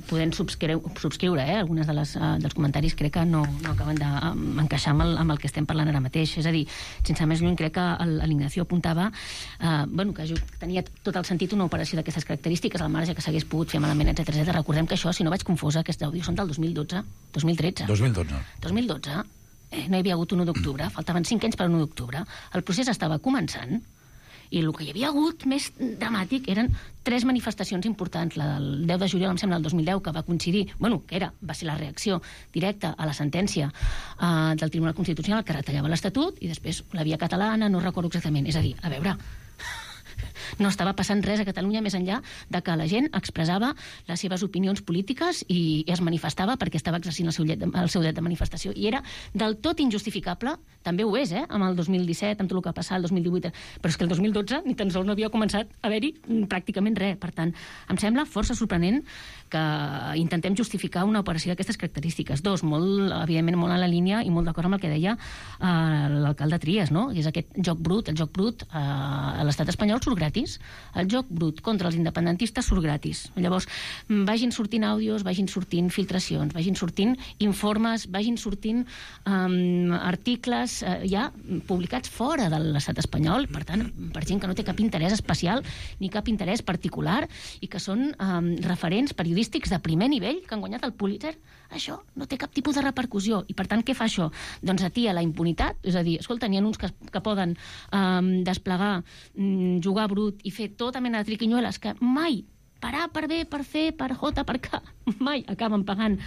podem subscriure, algunes dels comentaris crec que no acaben d'encaixar amb el que estem parlant ara mateix. És a dir, sense més lluny, crec que l'Ignacio apuntava que tenia tot el sentit una operació d'aquestes característiques, al marge que s'hagués pogut fer malament, etc. Recordem que això, si no vaig confosa, aquests àudios són del 2013. 2012. No hi havia hagut 1 d'octubre, faltaven 5 anys per 1 d'octubre. El procés estava començant i el que hi havia hagut més dramàtic eren 3 manifestacions importants. La del 10 de juliol, em sembla, del 2010, que va coincidir, va ser la reacció directa a la sentència del Tribunal Constitucional que retallava l'Estatut, i després la via catalana, no recordo exactament. És a dir, a veure... No estava passant res a Catalunya més enllà de que la gent expressava les seves opinions polítiques i es manifestava perquè estava exercint el seu dret de manifestació. I era del tot injustificable, també ho és, amb el 2017, amb tot el que va passar el 2018, però és que el 2012 ni tan sols no havia començat a haver-hi pràcticament res. Per tant, em sembla força sorprenent que intentem justificar una operació d'aquestes característiques. Evidentment molt en la línia i molt d'acord amb el que deia l'alcalde Trias, no? És aquest joc brut a l'estat espanyol surt gratis. El joc brut contra els independentistes surt gratis. Llavors, vagin sortint àudios, vagin sortint filtracions, vagin sortint informes, vagin sortint articles ja publicats fora de l'estat espanyol, per tant, per gent que no té cap interès especial ni cap interès particular i que són referents periodístics de primer nivell que han guanyat el Pulitzer. Això no té cap tipus de repercussió. I, per tant, què fa això? Doncs atia la impunitat. És a dir, escolta, n'hi ha uns que poden desplegar, jugar brut i fer tota mena de triquinyueles que mai, per A, per B, per C, per J, per K, mai acaben pagant,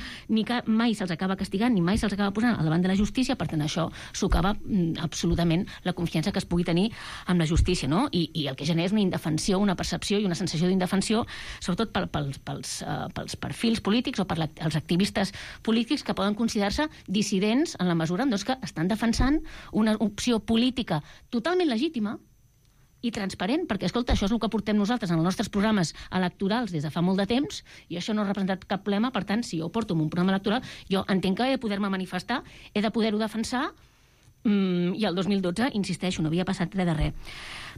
mai se'ls acaba castigant, ni mai se'ls acaba posant al davant de la justícia. Per tant, això socava absolutament la confiança que es pugui tenir amb la justícia, no? I el que genera és una indefensió, una percepció i una sensació d'indefensió, sobretot pels perfils polítics o pels activistes polítics que poden considerar-se dissidents en la mesura que estan defensant una opció política totalment legítima i transparent, perquè, escolta, això és el que portem nosaltres en els nostres programes electorals des de fa molt de temps, i això no ha representat cap problema. Per tant, si jo porto un programa electoral, jo entenc que he de poder-me manifestar, he de poder-ho defensar, i el 2012, insisteixo, no havia passat res de res.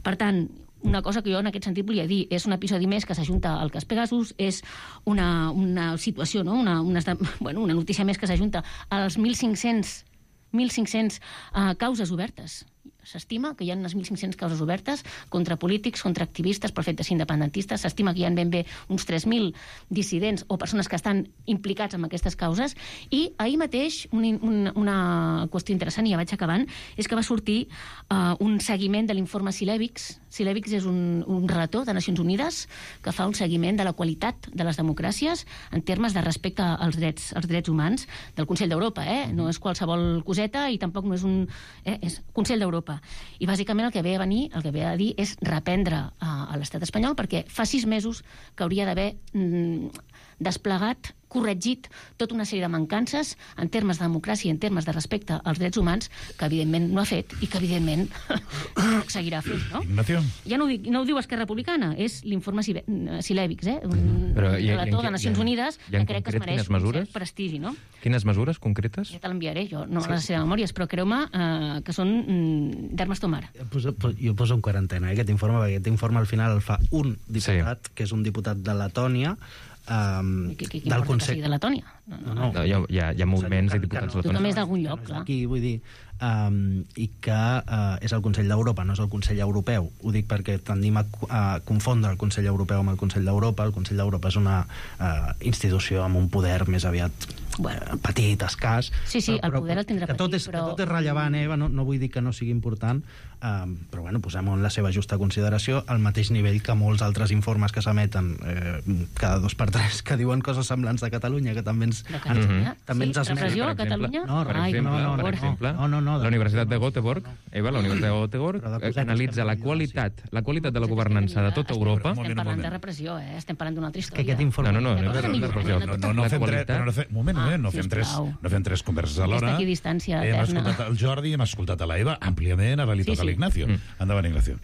Per tant, una cosa que jo en aquest sentit volia dir, és un episodi més que s'ajunta al cas Pegasus, és una situació, no? una notícia més que s'ajunta als 1.500 causes obertes. S'estima que hi ha unes 1.500 causes obertes contra polítics, contra activistes, per fet de ser independentistes. S'estima que hi ha ben bé uns 3.000 dissidents o persones que estan implicats en aquestes causes. I ahir mateix, una qüestió interessant, i ja vaig acabant, és que va sortir un seguiment de l'informe Cilevics. Cilevics és un relator de Nacions Unides que fa un seguiment de la qualitat de les democràcies en termes de respecte als drets humans del Consell d'Europa. No és qualsevol coseta i tampoc no és és Consell d'Europa. I bàsicament el que ve a dir és reprendre a l'estat espanyol, perquè fa 6 mesos que hauria d'haver desplegat, corregit tota una sèrie de mancances en termes de democràcia i en termes de respecte als drets humans, que evidentment no ha fet i que evidentment seguirà fent, no?
Ignacio?
Ja no ho diu Esquerra Republicana, és l'informe Cilevics, un relator de Nacions Unides que crec que es mereix un cert prestigi, no?
Quines mesures concretes?
Ja te l'enviaré, jo no me les sé de memòries, però creu-me que són d'Hermes Tomar.
Jo poso en quarantena aquest informe, perquè aquest informe al final el fa un diputat, que és un diputat de Letònia,
del Consell
de
Letònia.
No, hi ha moviments i diputats letònics.
Tu també és d'algun lloc, clar.
Aquí, vull dir, i que és el Consell d'Europa, no és el Consell Europeu. Ho dic perquè tendim a confondre el Consell Europeu amb el Consell d'Europa. El Consell d'Europa és una institució amb un poder més aviat petit, escàs.
Sí, el poder el tindrà petit,
però... Que tot és rellevant, Eva, no vull dir que no sigui important, però bueno, posem-ho en la seva justa consideració, al mateix nivell que molts altres informes que s'emeten cada 2 per 3 que diuen coses semblants de Catalunya, que també ens
repressió a Catalunya?
Per exemple, la Universitat de Göteborg, Eva, la Universitat de Göteborg analitza la qualitat de la governança de tota Europa.
Estem parlant de repressió, estem parlant d'una altra història.
No fem 3 converses alhora. Hem escoltat el Jordi, hem escoltat a l'Eva àmpliament, ara li toca a l'Ignacio. Endavant, Ignacio.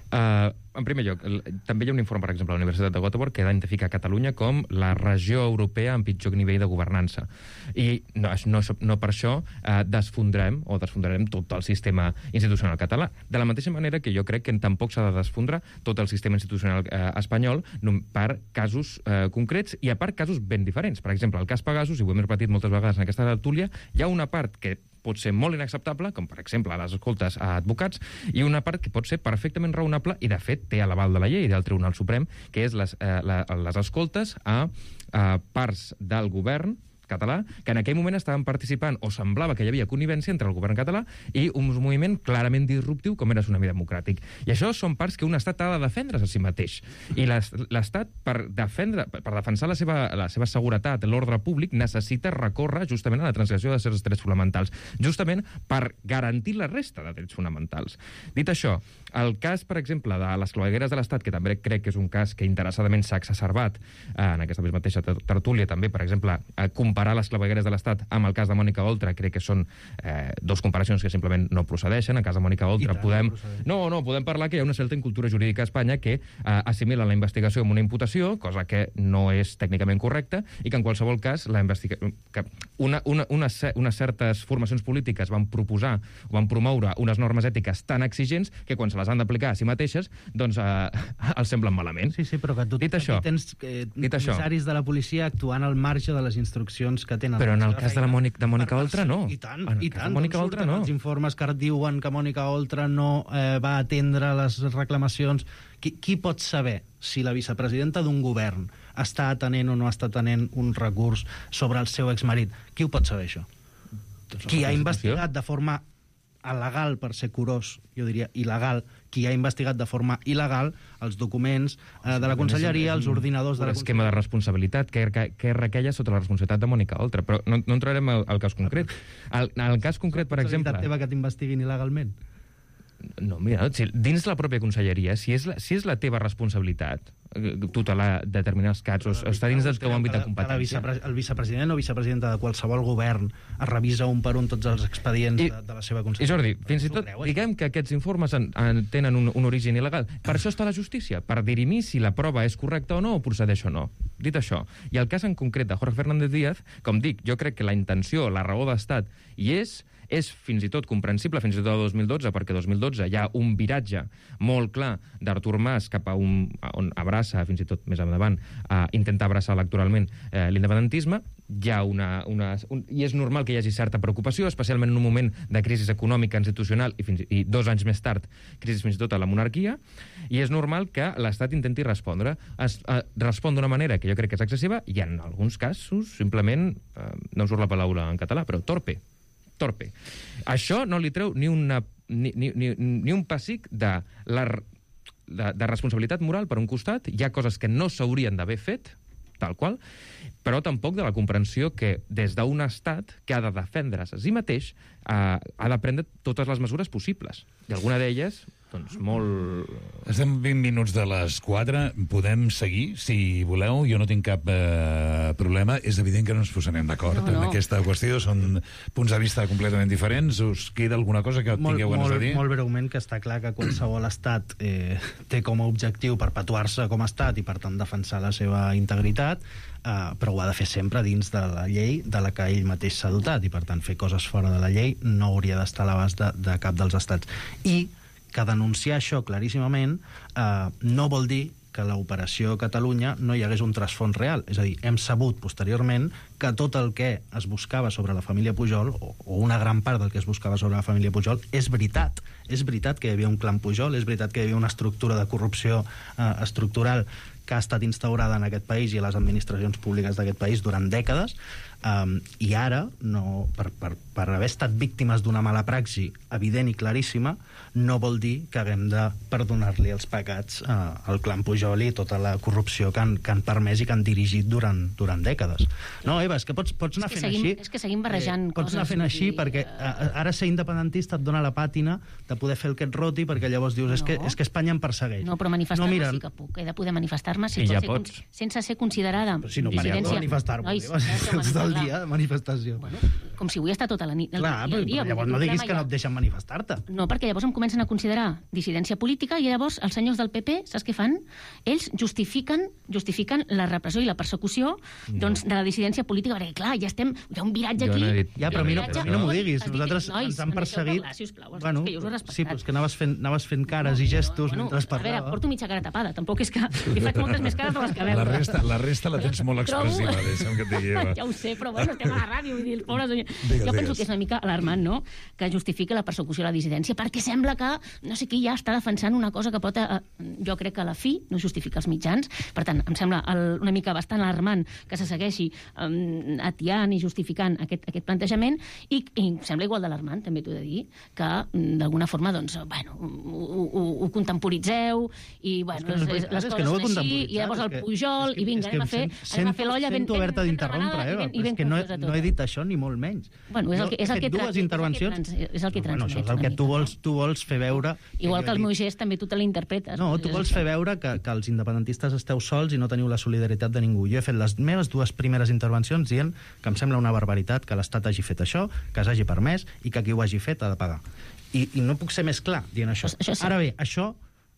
En primer lloc, també hi ha un informe, per exemple, a la Universitat de Göteborg que identifica Catalunya com la regió europea amb pitjor nivell de governança. I no per això desfondrarem tot el sistema institucional català. De la mateixa manera que jo crec que tampoc s'ha de desfondrar tot el sistema institucional espanyol per casos concrets i a part casos ben diferents. Per exemple, el cas Pegasus, i ho hem repetit moltes vegades en aquesta tertúlia, hi ha una part que pot ser molt inacceptable, com per exemple les escoltes a advocats, i una part que pot ser perfectament raonable i de fet té a l'aval de la llei del Tribunal Suprem, que és les escoltes a parts del govern català, que en aquell moment estaven participant o semblava que hi havia connivència entre el govern català i un moviment clarament disruptiu com era Tsunami Democràtic. I això són parts que un estat ha de defendre's a si mateix. I l'estat, per defensar la seva seguretat, l'ordre públic, necessita recórrer justament a la transgressió de certs drets fonamentals, justament per garantir la resta de drets fonamentals. Dit això, el cas, per exemple, de les clavegueres de l'Estat, que també crec que és un cas que interessadament s'ha exacerbat en aquesta mateixa tertúlia, també, per exemple, comparar les clavegueres de l'Estat amb el cas de Mònica Oltra, crec que són 2 comparacions que simplement no procedeixen. En el cas de Mònica Oltra podem parlar que hi ha una certa incultura jurídica a Espanya que assimila la investigació amb una imputació, cosa que no és tècnicament correcta, i que en qualsevol cas unes certes formacions polítiques van proposar o van promoure unes normes ètiques tan exigents que quan se les han d'aplicar a si mateixes, doncs els semblen malament.
Sí, però que tu tens comissaris de la policia actuant al marge de les instruccions que tenen.
Però en el cas de Mònica Oltra no.
I tant. Mònica Oltra no. Els informes que diuen que Mònica Oltra no va atendre les reclamacions. Qui pot saber si la vicepresidenta d'un govern està atenent o no està atenent un recurs sobre el seu exmarit? Qui ho pot saber, això? Qui ha investigat de forma legal, per ser curós, jo diria il·legal, qui ha investigat de forma il·legal els documents de la conselleria, els ordinadors de la conselleria.
Un esquema de responsabilitat que requeia sota la responsabilitat de Mònica Oltra, però no entrarem al cas concret. El cas concret, per exemple...
La teva que t'investiguin il·legalment?
No, mira, dins la pròpia conselleria, si és la teva responsabilitat tutelar determinats casos, està dins del teu àmbit de competència.
El vicepresident o vicepresidenta de qualsevol govern es revisa un per un tots els expedients de la seva conselleria.
I Jordi, fins i tot diguem que aquests informes tenen un origen il·legal. Per això està la justícia, per dirimir si la prova és correcta o no, o procedeix o no. Dit això, i el cas en concret de Jorge Fernández Díaz, com dic, jo crec que la intenció, la raó d'estat hi és fins i tot comprensible, fins i tot el 2012, perquè el 2012 hi ha un viratge molt clar d'Artur Mas cap a on abraça, fins i tot més endavant, intentar abraçar electoralment l'independentisme. Hi ha i és normal que hi hagi certa preocupació, especialment en un moment de crisi econòmica, institucional, i 2 anys més tard, crisi fins i tot a la monarquia, i és normal que l'Estat intenti respondre. Respon d'una manera que jo crec que és excessiva, i en alguns casos, simplement, no em surt la paraula en català, però torpe. Això no li treu ni un pessic de responsabilitat moral per un costat. Hi ha coses que no s'haurien d'haver fet, tal qual, però tampoc de la comprensió que des d'un estat que ha de defendre's a si mateix ha de prendre totes les mesures possibles. I alguna d'elles, doncs, molt...
Estem 20 minuts de les 4. Podem seguir, si voleu. Jo no tinc cap problema. És evident que no ens posarem d'acord en aquesta qüestió. Són punts de vista completament diferents. Us queda alguna cosa que tingueu ganes de dir?
Molt breument, que està clar que qualsevol estat té com a objectiu perpetuar-se com a estat i, per tant, defensar la seva integritat, però ho ha de fer sempre dins de la llei de la que ell mateix s'ha dotat, i, per tant, fer coses fora de la llei no hauria d'estar a l'abast de cap dels estats. I que denunciar això claríssimament no vol dir que a l'operació Catalunya no hi hagués un trasfons real. És a dir, hem sabut posteriorment que tot el que es buscava sobre la família Pujol, o una gran part del que es buscava sobre la família Pujol, és veritat. És veritat que hi havia un clan Pujol, és veritat que hi havia una estructura de corrupció estructural que ha estat instaurada en aquest país i a les administracions públiques d'aquest país durant dècades, i ara, per haver estat víctimes d'una mala praxi evident i claríssima, no vol dir que haguem de perdonar-li els pecats al clan Pujol i tota la corrupció que han permès i que han dirigit durant dècades. No, Eva, és que pots anar fent així.
És que seguim barrejant coses.
Pots anar fent així perquè ara ser independentista et dona la pàtina de poder fer el que et roti, perquè llavors dius, és que Espanya em persegueix.
No, però manifestar-me sí que puc. He de poder manifestar-me sense ser considerada
dissidència. Si no parem de manifestar-me, tot el dia de manifestació.
Com si vull estar tota la nit.
Clar, però llavors no diguis que no et deixen manifestar-te.
No, perquè llavors em comencen a considerar dissidència política i llavors els senyors del PP, saps què fan? Ells justifiquen la repressió i la persecució de la dissidència política, perquè clar, hi ha un viratge aquí.
Ja, però a mi no m'ho diguis. Nosaltres ens han perseguit...
Bueno,
sí, però és que anaves fent cares i gestos mentre parlava.
A veure, porto mitja cara tapada, tampoc és que li faig moltes més cares de les que veus.
La resta la tens molt expressiva, deixa'm que et digui, Eva.
Ja ho sé, però bueno, estem a la ràdio, vull dir, pobres... Jo penso que és una mica alarmant, no?, que justifica la persecució i la dissidència, perquè sembla que no sé qui ja està defensant una cosa que pot... Jo crec que a la fi no justifica els mitjans. Per tant, em sembla una mica bastant alarmant que se segueixi atiant i justificant aquest plantejament, i em sembla igual d'alarmant, també t'ho he de dir, que d'alguna forma, doncs, bueno, ho contemporitzeu, i, bueno, les coses són així, i llavors el Pujol, i vinga, anem a fer l'olla ben...
Sento haver-te d'interrompre, Eva, però és que no he dit això ni molt menys.
Bueno, és el que
transmets.
Bueno,
això és el que tu vols fer veure...
Igual que el meu gest també tu te l'interpretes.
No, tu vols fer veure que els independentistes esteu sols i no teniu la solidaritat de ningú. Jo he fet les meves 2 primeres intervencions dient que em sembla una barbaritat que l'Estat hagi fet això, que s'hagi permès i que qui ho hagi fet ha de pagar. I no puc ser més clar dient això. Ara bé, això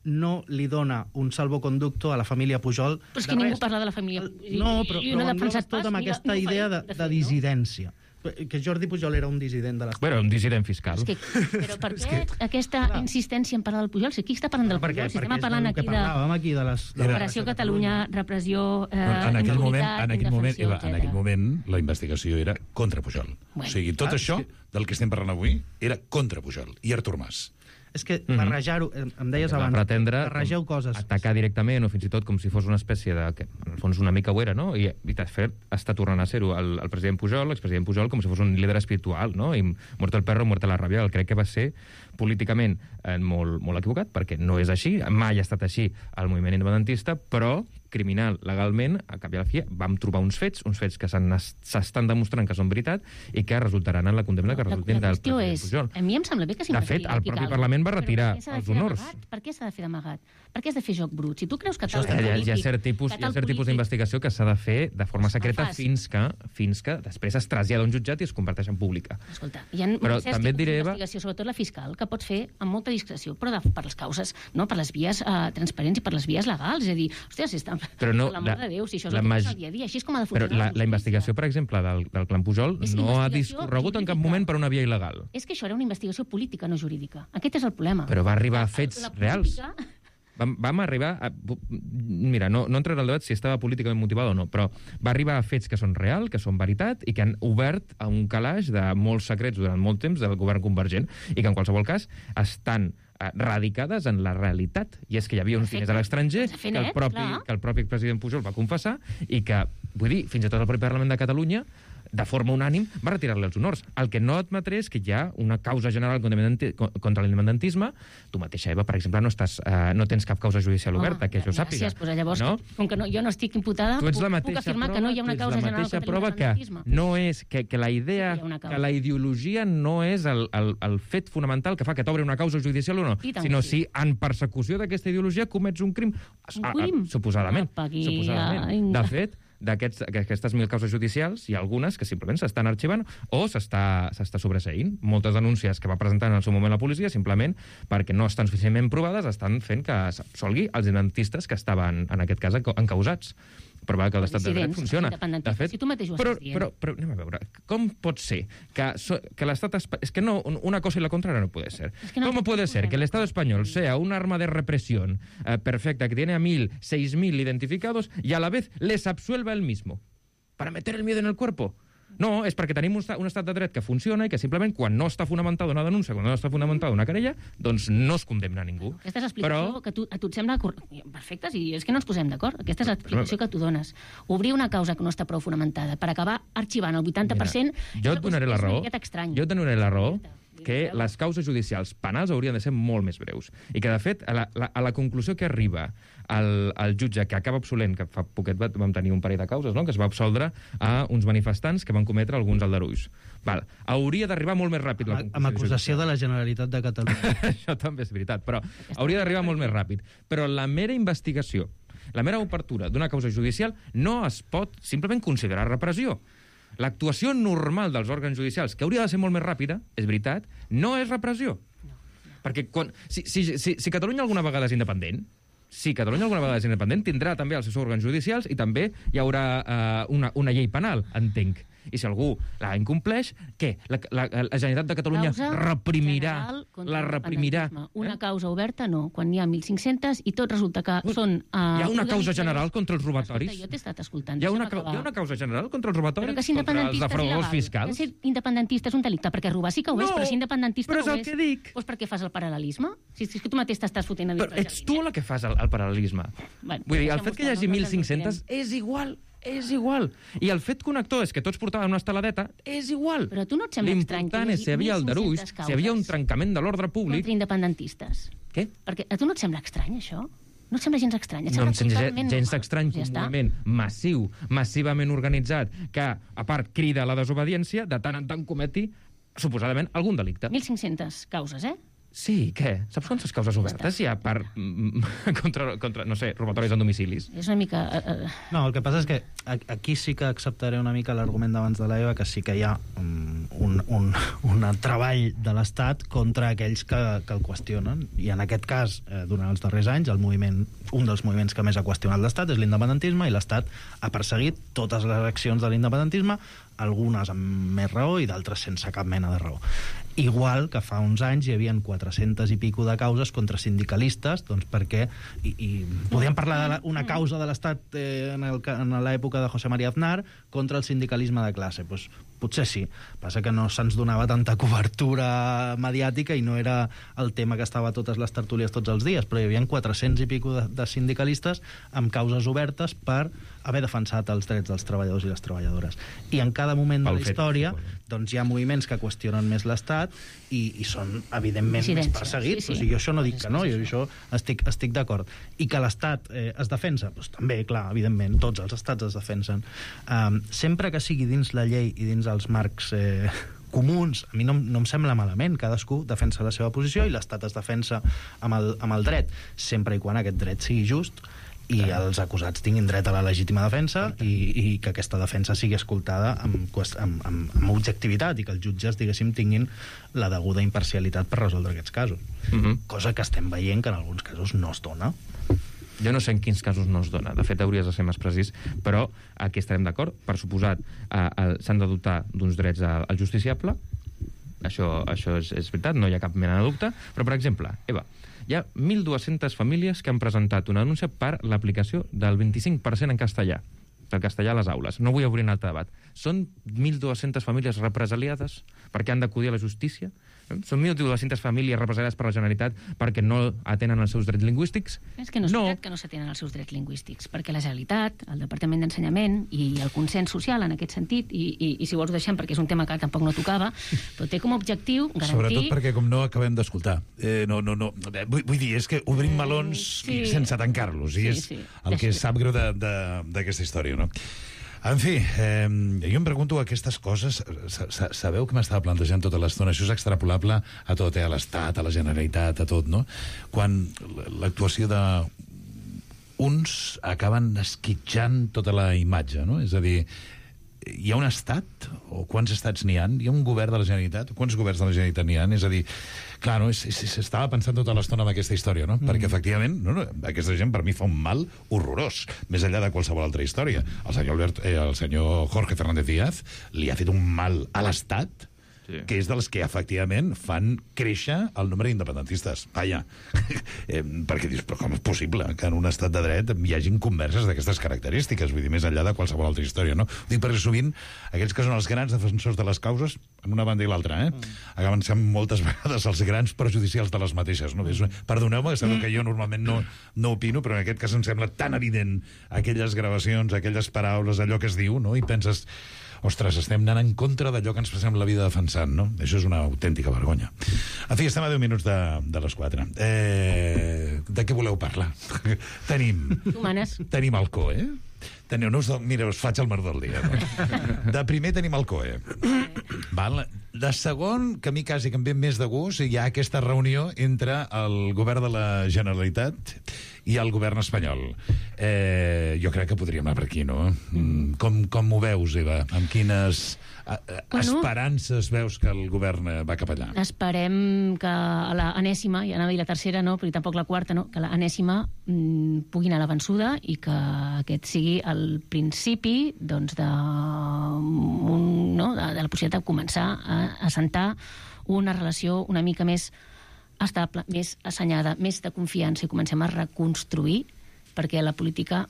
no li dona un salvoconducto a la família Pujol.
Però és que ningú parla de la família Pujol.
No, però englobes tot amb aquesta idea de dissidència. Que Jordi Pujol era un dissident de l'Estat.
Bueno, un dissident fiscal.
Però per què aquesta insistència en parlar del Pujol? Si qui està parlant del Pujol? Si estem parlant aquí de l'Operació Catalunya, repressió,
en aquell moment la investigació era contra Pujol. O sigui, tot això del que estem parlant avui era contra Pujol i Artur Mas.
És que barrejar-ho, em deies abans, barregeu coses.
Atacar directament, o fins i tot com si fos una espècie de... que en el fons una mica ho era, no? I de fet està tornant a ser-ho el president Pujol, l'expresident Pujol, com si fos un líder espiritual, no? I muerto el perro, muerta la ràbia. Crec que va ser políticament molt equivocat, perquè no és així, mai ha estat així el moviment independentista, però criminal, legalment, a cap i a la fi, vam trobar uns fets que s'estan demostrant que són veritat i que resultaran en la condemna que resultin del president Pujol.
A mi em sembla bé que s'investigui.
De fet, el propi Parlament va retirar els honors.
Per què s'ha de fer d'amagat? Per què has de fer joc brut? Si tu creus que
tal polític... Hi ha cert tipus d'investigació que s'ha de fer de forma secreta fins que després es trasllada a un jutjat i es converteix en pública.
Escolta, hi ha també et diré, investigació, sobretot la fiscal, que pots fer amb molta discreció, però per les causes, no? Per les vies transparents i per les vies legals. És a dir, hòstia, si està...
Però no,
l'amor de Déu, si això és el que és el dia a dia, així és com ha de funcionar.
Però la investigació, per exemple, del clan Pujol no ha discorregut en cap moment per una via il·legal.
És que això era una investigació política, no jurídica. Aquest és el problema.
Però va arribar a fets reals. vam arribar mira, no entraré al debat si estava políticament motivat o no, però va arribar a fets que són real, que són veritat, i que han obert a un calaix de molts secrets durant molt temps del govern convergent, i que en qualsevol cas estan radicades en la realitat. I és que hi havia uns diners a l'estranger que el propi president Pujol va confessar i que, vull dir, fins i tot el propi Parlament de Catalunya, de forma unànim, va retirar-li els honors. El que no admetré és que hi ha una causa general contra l'independentisme. Tu mateixa, Eva, per exemple, no tens cap causa judicial oberta, que jo sàpiga.
Gràcies, llavors, com que jo no estic imputada, puc afirmar que no hi ha una causa general contra l'independentisme.
No és que la idea, que la ideologia no és el fet fonamental que fa que t'obri una causa judicial o no, sinó si en persecució d'aquesta ideologia comets un crim. Suposadament. De fet, d'aquestes 1.000 causes judicials, hi ha algunes que simplement s'estan arxivant o s'està sobreseint. Moltes denúncies que va presentar en el seu moment la policia, simplement perquè no estan suficientment provades, estan fent que s'absolgui els independentistes que estaven, en aquest cas, encausats. Però que l'estat de dret funciona. De fet,
si tu mateix ho estàs dient.
Però anem a veure, com pot ser que l'estat... És que no, una cosa y la contraria no puede ser. ¿Cómo puede ser que el Estado español sea un arma de represión perfecta que tiene a 6.000 identificados y a la vez les absuelva él mismo? ¿Para meter el miedo en el cuerpo? No, és perquè tenim un estat de dret que funciona i que simplement quan no està fonamentada una denúncia, quan no està fonamentada una querella, doncs no es condemna ningú.
Aquesta és l'explicació que a tu et sembla perfecta, i és que no ens posem d'acord. Aquesta és l'explicació que tu dones. Obrir una causa que no està prou fonamentada per acabar arxivant el 80%...
Jo et donaré la raó que les causes judicials penals haurien de ser molt més breus. I que, de fet, a la conclusió que arriba el jutge, que acaba absolent, que fa poquet vam tenir un parell de causes, no?, que es va absoldre a uns manifestants que van cometre alguns aldarulls. Hauria d'arribar molt més ràpid la conclusió.
Amb acusació de la Generalitat de Catalunya.
Això també és veritat, però hauria d'arribar molt més ràpid. Però la mera investigació, la mera obertura d'una causa judicial no es pot simplement considerar repressió. L'actuació normal dels òrgans judicials, que hauria de ser molt més ràpida, és veritat, no és repressió. Perquè si Catalunya alguna vegada és independent, tindrà també els seus òrgans judicials i també hi haurà una llei penal, entenc. I si algú la incompleix, què? La Generalitat de Catalunya la reprimirà.
Una causa oberta, no. Quan n'hi ha 1.500 i tot resulta que són...
Hi ha una causa general contra els robatoris?
Jo t'he estat escoltant.
Hi ha una causa general contra els robatoris? Contra els defraudadors fiscals?
Que ser independentista és un delicte, perquè robar sí que ho és, però ser independentista no ho és.
Però és el que dic.
Doncs per què fas el paral·lelisme? Si és que tu mateix t'estàs fotent a dir...
Però ets tu la que fas el paral·lelisme. Vull dir, el fet que hi hagi 1.500 és igual. És igual. I el fet connector és que tots portaven una estaladeta, és igual.
Però a tu no et sembla estrany que
l'important és si hi havia aldarulls, si hi havia un trencament de l'ordre públic...
Contra independentistes.
Què?
Perquè a tu no et sembla estrany, això? No et sembla gens estrany?
No em sembla gens estrany que un moviment massiu, massivament organitzat, que, a part, crida a la desobediència, de tant en tant cometi, suposadament, algun delicte.
1.500 causes,
Sí, què? Saps quantes causes obertes hi ha contra, no sé, robatoris en domicilis?
És una mica...
No, el que passa és que aquí sí que acceptaré una mica l'argument d'abans de l'Eva, que sí que hi ha un treball de l'Estat contra aquells que el qüestionen. I en aquest cas, durant els darrers anys, un dels moviments que més ha qüestionat l'Estat és l'independentisme, i l'Estat ha perseguit totes les accions de l'independentisme, algunes amb més raó i d'altres sense cap mena de raó. Igual que fa uns anys hi havia 400 i pico de causes contra sindicalistes, doncs perquè podíem parlar d'una causa de l'Estat en l'època de José María Aznar contra el sindicalisme de classe. Doncs potser sí, passa que no se'ns donava tanta cobertura mediàtica i no era el tema que estava a totes les tertúlies tots els dies, però hi havia 400 i pico de sindicalistes amb causes obertes per haver defensat els drets dels treballadors i les treballadores. I en cada moment de la història doncs hi ha moviments que qüestionen més l'Estat i són, evidentment, més perseguits. O sigui, jo això no dic que no, jo això estic d'acord. I que l'Estat es defensa? Doncs també, clar, evidentment, tots els estats es defensen. Sempre que sigui dins la llei i dins els marcs comuns, a mi no em sembla malament. Cadascú defensa la seva posició i l'Estat es defensa amb el dret, sempre i quan aquest dret sigui just i els acusats tinguin dret a la legítima defensa i que aquesta defensa sigui escoltada amb objectivitat i que els jutges, diguéssim, tinguin la deguda imparcialitat per resoldre aquests casos. Cosa que estem veient que en alguns casos no es dona.
Jo no sé en quins casos no es dona. De fet, hauries de ser més precís, però aquí estarem d'acord. Per suposat, s'han de dotar d'uns drets al justiciable. Això és veritat, no hi ha cap mena de dubte. Però, per exemple, Eva, Hi ha 1.200 famílies que han presentat una denúncia per l'aplicació del 25% en castellà, del castellà a les aules. No vull obrir un altre debat. Són 1.200 famílies represaliades perquè han d'acudir a la justícia? Són 1.200 famílies represaliades per la Generalitat perquè no atenen els seus drets lingüístics?
És que no és veritat que no s'atenen els seus drets lingüístics, perquè la Generalitat, el Departament d'Ensenyament i el consens social en aquest sentit, i si vols ho deixem perquè és un tema que tampoc no tocava, però té com a objectiu garantir...
Sobretot perquè com no acabem d'escoltar. Vull dir, és que obrim melons sense tancar-los, i és el que sap greu d'aquesta història, no? En fi, jo em pregunto aquestes coses, sabeu que m'estava plantejant tota l'estona, això és extrapolable a tot, a l'Estat, a la Generalitat, a tot, no? Quan l'actuació d'uns acaben esquitxant tota la imatge, no? És a dir, hi ha un estat, o quants estats n'hi ha? Hi ha un govern de la Generalitat? Quants governs de la Generalitat n'hi ha? És a dir, clar, no, s'estava pensant tota l'estona en aquesta història, no? Perquè, efectivament, aquesta gent per mi fa un mal horrorós, més enllà de qualsevol altra història. El senyor Jorge Fernández Díaz li ha fet un mal a l'Estat que és dels que, efectivament, fan créixer el nombre d'independentistes. Vaja, perquè dius, però com és possible que en un estat de dret hi hagin converses d'aquestes característiques? Vull dir, més enllà de qualsevol altra història, no? Ho dic perquè sovint aquells que són els grans defensors de les causes, en una banda i l'altra, acaben sent moltes vegades els grans perjudicials de les mateixes, no? Perdoneu-me, sabeu que jo normalment no opino, però en aquest cas em sembla tan evident aquelles gravacions, aquelles paraules, allò que es diu, no? I penses, ostres, estem anant en contra d'allò que ens passem la vida defensant, no? Això és una autèntica vergonya. En fi, estem a 10 minuts de les 4. De què voleu parlar? Tenim el COE. Mira, us faig el mar del dia. No? De primer tenim el COE. Val? De segon, que a mi quasi que em ve més de gust, hi ha aquesta reunió entre el govern de la Generalitat i el govern espanyol. Jo crec que podríem anar per aquí, no? Com ho veus, Eva? Amb quines esperances veus que el govern va cap allà?
Esperem que a l'enèsima, ja anava a dir la tercera, no, però tampoc la quarta, no, que l'enèsima pugui anar a la vençuda i que aquest sigui el principi doncs, de la possibilitat de començar a assentar una relació una mica més estable, més assenyada, més de confiança, i comencem a reconstruir, perquè la política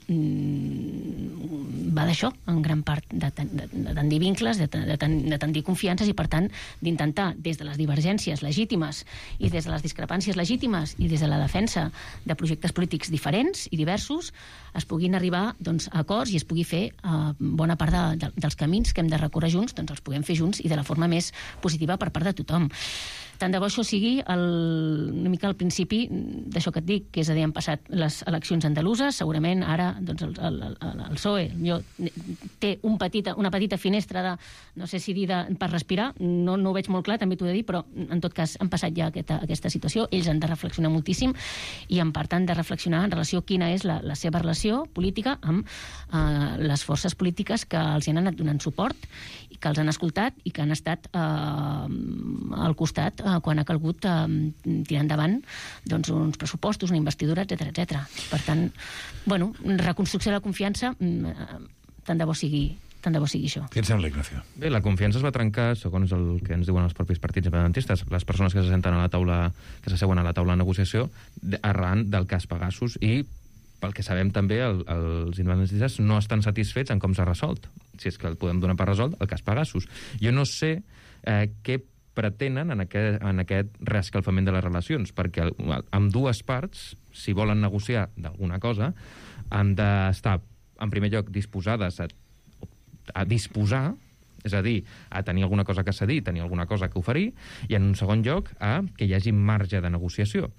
va d'això, en gran part, de tendir vincles, de tendir confiances, i per tant d'intentar, des de les divergències legítimes i des de les discrepàncies legítimes i des de la defensa de projectes polítics diferents i diversos, es puguin arribar doncs, a acords i es pugui fer bona part dels camins que hem de recórrer junts, doncs els puguem fer junts i de la forma més positiva per part de tothom. Tant de bo això sigui una mica al principi d'això que et dic, que és a dir, han passat les eleccions andaluses, segurament ara doncs, el PSOE té una petita finestra de, no sé si dir per respirar, no ho veig molt clar, també t'ho he de dir, però en tot cas han passat ja aquesta situació, ells han de reflexionar moltíssim i en part han de reflexionar en relació a quina és la seva relació política amb les forces polítiques que els han anat donant suport i que els han escoltat i que han estat al costat quan ha calgut tirar endavant doncs, uns pressupostos, una investidura, etc. Per tant, bueno, reconstrucció de la confiança, tant de bo sigui això.
Què et sembla, Ignacio?
Bé, la confiança es va trencar, segons el que ens diuen els propis partits independentistes, les persones que s'asseuen a la taula de negociació, arran del cas Pegasus, i pel que sabem també, els independentistes no estan satisfets en com s'ha resolt. Si és que el podem donar per resolt, el cas Pegasus. Jo no sé què pretenen en aquest reescalfament de les relacions, perquè amb dues parts, si volen negociar d'alguna cosa, han d'estar, en primer lloc, disposades a disposar, és a dir, a tenir alguna cosa que cedir, tenir alguna cosa que oferir, i en un segon lloc, que hi hagi marge de negociació.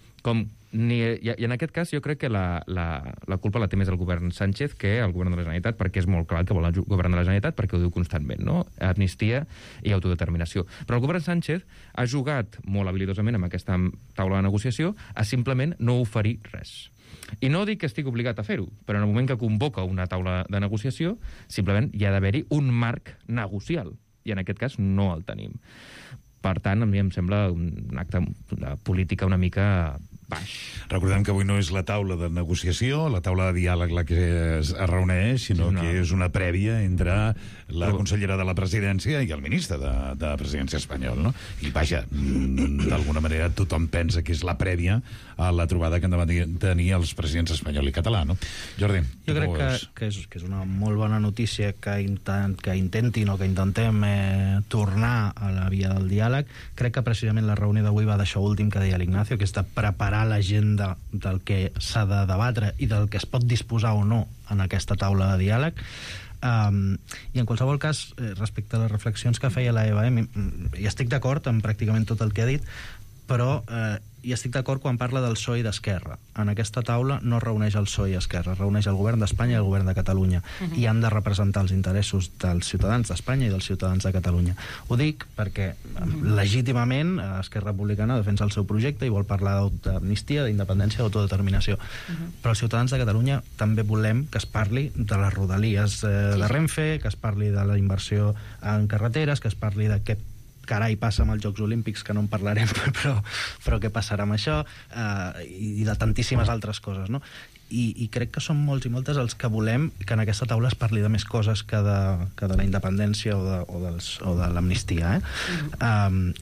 I en aquest cas jo crec que la culpa la té més el govern Sánchez que el govern de la Generalitat, perquè és molt clar que vol el govern de la Generalitat, perquè ho diu constantment, no? Amnistia i autodeterminació. Però el govern Sánchez ha jugat molt habilidosament amb aquesta taula de negociació a simplement no oferir res. I no dic que estigui obligat a fer-ho, però en el moment que convoca una taula de negociació, simplement hi ha d'haver-hi un marc negocial, i en aquest cas no el tenim. Per tant, a mi em sembla un acte de política una mica baix.
Recordem que avui no és la taula de negociació, la taula de diàleg la que es reuneix, sinó que és una prèvia entre la consellera de la presidència i el ministre de presidència espanyol, no? I vaja, d'alguna manera tothom pensa que és la prèvia a la trobada que han de tenir els presidents espanyol i català, no? Jordi,
jo crec que és una molt bona notícia que intentin o que intentem tornar a la via del diàleg. Crec que precisament la reunió d'avui va d'això últim que deia l'Ignacio, que és de preparar l'agenda del que s'ha de debatre i del que es pot disposar o no en aquesta taula de diàleg. I en qualsevol cas, respecte a les reflexions que feia la Eva, hi estic d'acord amb pràcticament tot el que ha dit, però hi estic d'acord quan parla del PSOE i d'Esquerra. En aquesta taula no reuneix el PSOE i Esquerra, reuneix el govern d'Espanya i el govern de Catalunya, i han de representar els interessos dels ciutadans d'Espanya i dels ciutadans de Catalunya. Ho dic perquè legítimament Esquerra Republicana defensa el seu projecte i vol parlar d'amnistia, d'independència, d'autodeterminació. Però els ciutadans de Catalunya també volem que es parli de les rodalies de Renfe, que es parli de la inversió en carreteres, que es parli de què carai passa amb els Jocs Olímpics, que no en parlarem, però què passarà amb això, i de tantíssimes altres coses, no? I crec que són molts i moltes els que volem que en aquesta taula es parli de més coses que de la independència o de l'amnistia,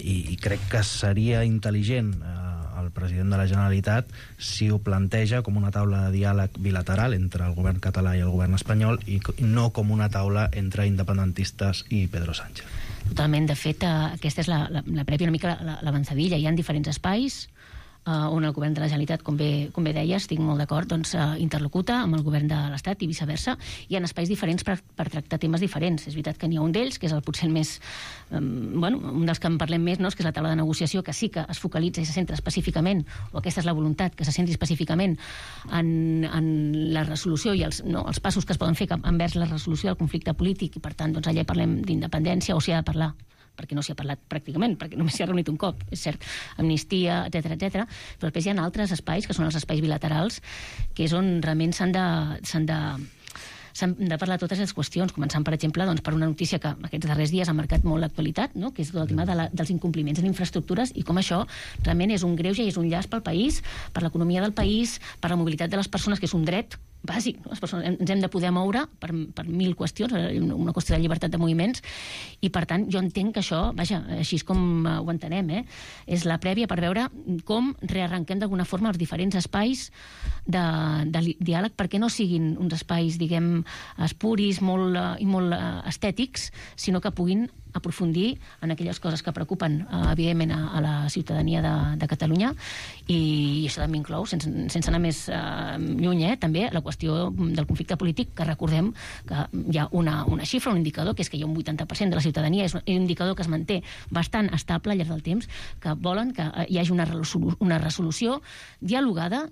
i crec que seria intel·ligent el president de la Generalitat si ho planteja com una taula de diàleg bilateral entre el govern català i el govern espanyol i no com una taula entre independentistes i Pedro Sánchez.
Totalment. De fet, aquesta és la prèvia, una mica l'avançadilla. Hi ha diferents espais on el govern de la Generalitat, com bé deia, estic molt d'acord, doncs interlocuta amb el govern de l'Estat i viceversa. Hi ha espais diferents per tractar temes diferents. És veritat que n'hi ha un d'ells, que és el potser el més... un dels que en parlem més, no? Que és la taula de negociació, que sí que es focalitza i se centra específicament, o aquesta és la voluntat, que se centri específicament en la resolució i els passos que es poden fer envers la resolució del conflicte polític, i per tant, doncs allà parlem d'independència, o s'hi ha de parlar, perquè no s'hi ha parlat pràcticament, perquè només s'hi ha reunit un cop, és cert, amnistia, etc, però després hi ha altres espais, que són els espais bilaterals, que és on realment s'han de parlar totes les qüestions, començant, per exemple, doncs, per una notícia que aquests darrers dies ha marcat molt l'actualitat, no? Que és el tema dels incompliments en infraestructures i com això realment és un greuge i és un llast pel país, per l'economia del país, per la mobilitat de les persones, que és un dret bàsic. Les persones ens hem de poder moure per 1000 qüestions, una qüestió de llibertat de moviments, i per tant jo entenc que això, vaja, així és com ho entenem, és la prèvia per veure com rearrenquem d'alguna forma els diferents espais de diàleg, perquè no siguin uns espais, diguem, espuris i molt estètics, sinó que puguin aprofundir en aquelles coses que preocupen, evidentment, a la ciutadania de Catalunya, i això també inclou, sense anar més lluny, també la qüestió del conflicte polític, que recordem que hi ha una xifra, un indicador, que és que hi ha un 80% de la ciutadania, és un indicador que es manté bastant estable al llarg del temps, que volen que hi hagi una resolució dialogada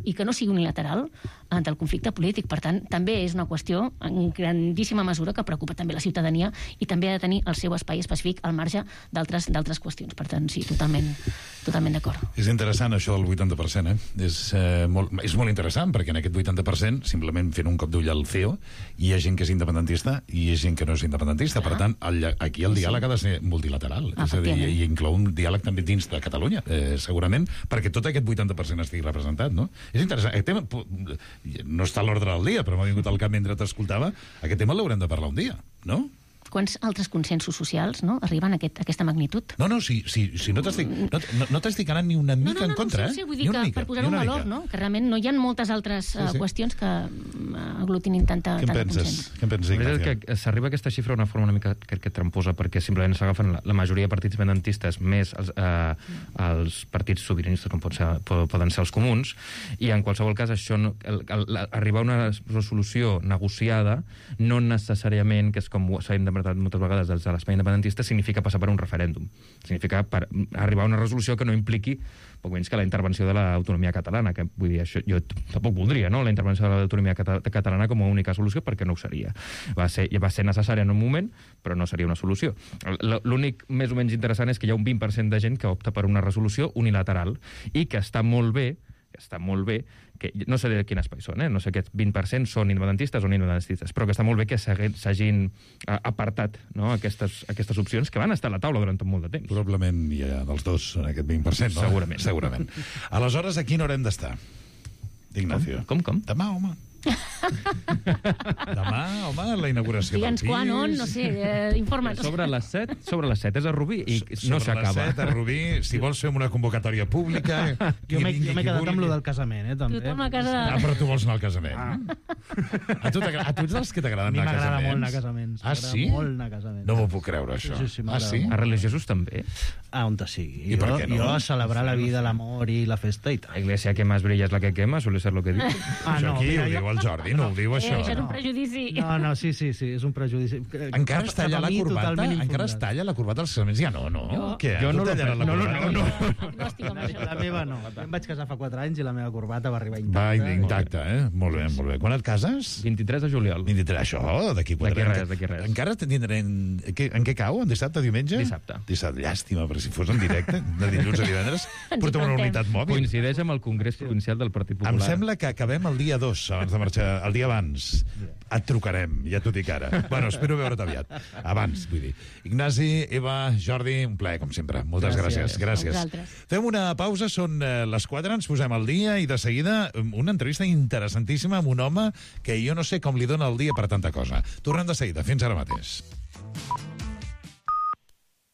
i que no sigui unilateral del conflicte polític. Per tant, també és una qüestió en grandíssima mesura que preocupa també la ciutadania i també ha de tenir el seu espai específic al marge d'altres qüestions. Per tant, sí, totalment d'acord.
És interessant això del 80%, És molt interessant, perquè en aquest 80%, simplement fent un cop d'ull al CEO, hi ha gent que és independentista i hi ha gent que no és independentista. Per tant, aquí el diàleg ha de ser multilateral. És a dir, i inclou un diàleg també dins de Catalunya, segurament, perquè tot aquest 80% estigui representat, no? És interessant. Aquest tema no està a l'ordre del dia, però m'ha vingut al cap mentre t'escoltava. Aquest tema l'haurem de parlar un dia, no?
Quants altres consensos socials arriben a aquesta magnitud?
No, si no t'estic anant ni una mica en contra,
Sí, vull dir que per posar-ho en valor, que realment no hi ha moltes altres qüestions que aglutinin tanta consens.
Què en penses, Ignacio?
Que s'arriba a aquesta xifra d'una forma una mica que tramposa, perquè simplement s'agafen la majoria de partits independentistes més els partits sobiranistes, com poden ser els comuns, i en qualsevol cas això arribar a una resolució negociada no necessàriament, que és com s'ha interpretat moltes vegades des de l'espai independentista, significa passar per un referèndum. Significa arribar a una resolució que no impliqui poc menys que la intervenció de l'autonomia catalana, que vull dir, això jo tampoc voldria, no?, la intervenció de l'autonomia catalana com a única solució, perquè no ho seria. Va ser necessària en un moment, però no seria una solució. L'únic més o menys interessant és que hi ha un 20% de gent que opta per una resolució unilateral i que està molt bé que està molt bé, que no sé de quin espai són, no sé aquests 20% són independentistes o no independentistes, però que està molt bé que s'hagin apartat, no, aquestes opcions que van estar a la taula durant tot molt de temps.
Probablement hi ha dels dos en aquest 20%, no? Segurament. Aleshores, a quina hora hem d'estar, Ignacio?
Com?
Demà, home. Demà, home, la inauguració del
Digue'ns
pis.
quan, on, no sé, informa'ns.
Sobre les 7 és a Rubí i no s'acaba.
Sobre les 7 a Rubí, si vols fer una convocatòria pública...
Jo m'he quedat amb lo del casament, també.
Tothom a casa...
però tu vols anar al casament. A tu ets dels que t'agraden anar a casaments?
M'agrada molt anar a casaments.
Ah, sí?
Molt anar a casaments.
No m'ho puc creure, això.
Sí,
sí?
A religiosos també?
On te sigui.
I per què no?
Jo a celebrar la vida, l'amor i la festa i tal.
La iglesia que más brilla es la que quema, suele ser lo que diu.
Això aquí ho diu el Jordi, no ho diu això.
Això és un prejudici.
No, sí, és un prejudici.
Encara es talla la corbata? Encara es talla la corbata als casaments? Ja no. Què?
Jo no la
No.
La meva no. Em vaig casar fa 4 anys i la meva corbata va arribar intacta.
Va intacta, Molt bé. Quan et cases?
23 de juliol.
23, això, d'aquí 4 anys.
D'aquí res.
Encara tindrem... En què cau? En dissabte, diumenge?
Dissabte.
Llàstima, però si fos en directe, de dilluns a divendres, portem una unitat mòbil.
Coincideix amb el Congrés Provincial del Partit Popular.
Em sembla que acabem el dia 2, abans de marxar, el dia abans. Et trucarem, ja t'ho dic ara. Bueno, espero veure't aviat. Abans, vull dir. Ignasi, Eva, Jordi, un plaer, com sempre. Moltes gràcies. Fem una pausa, són les 4, ens posem al dia i de seguida una entrevista interessantíssima amb un home que jo no sé com li dona el dia per tanta cosa. Tornem de seguida. Fins ara mateix.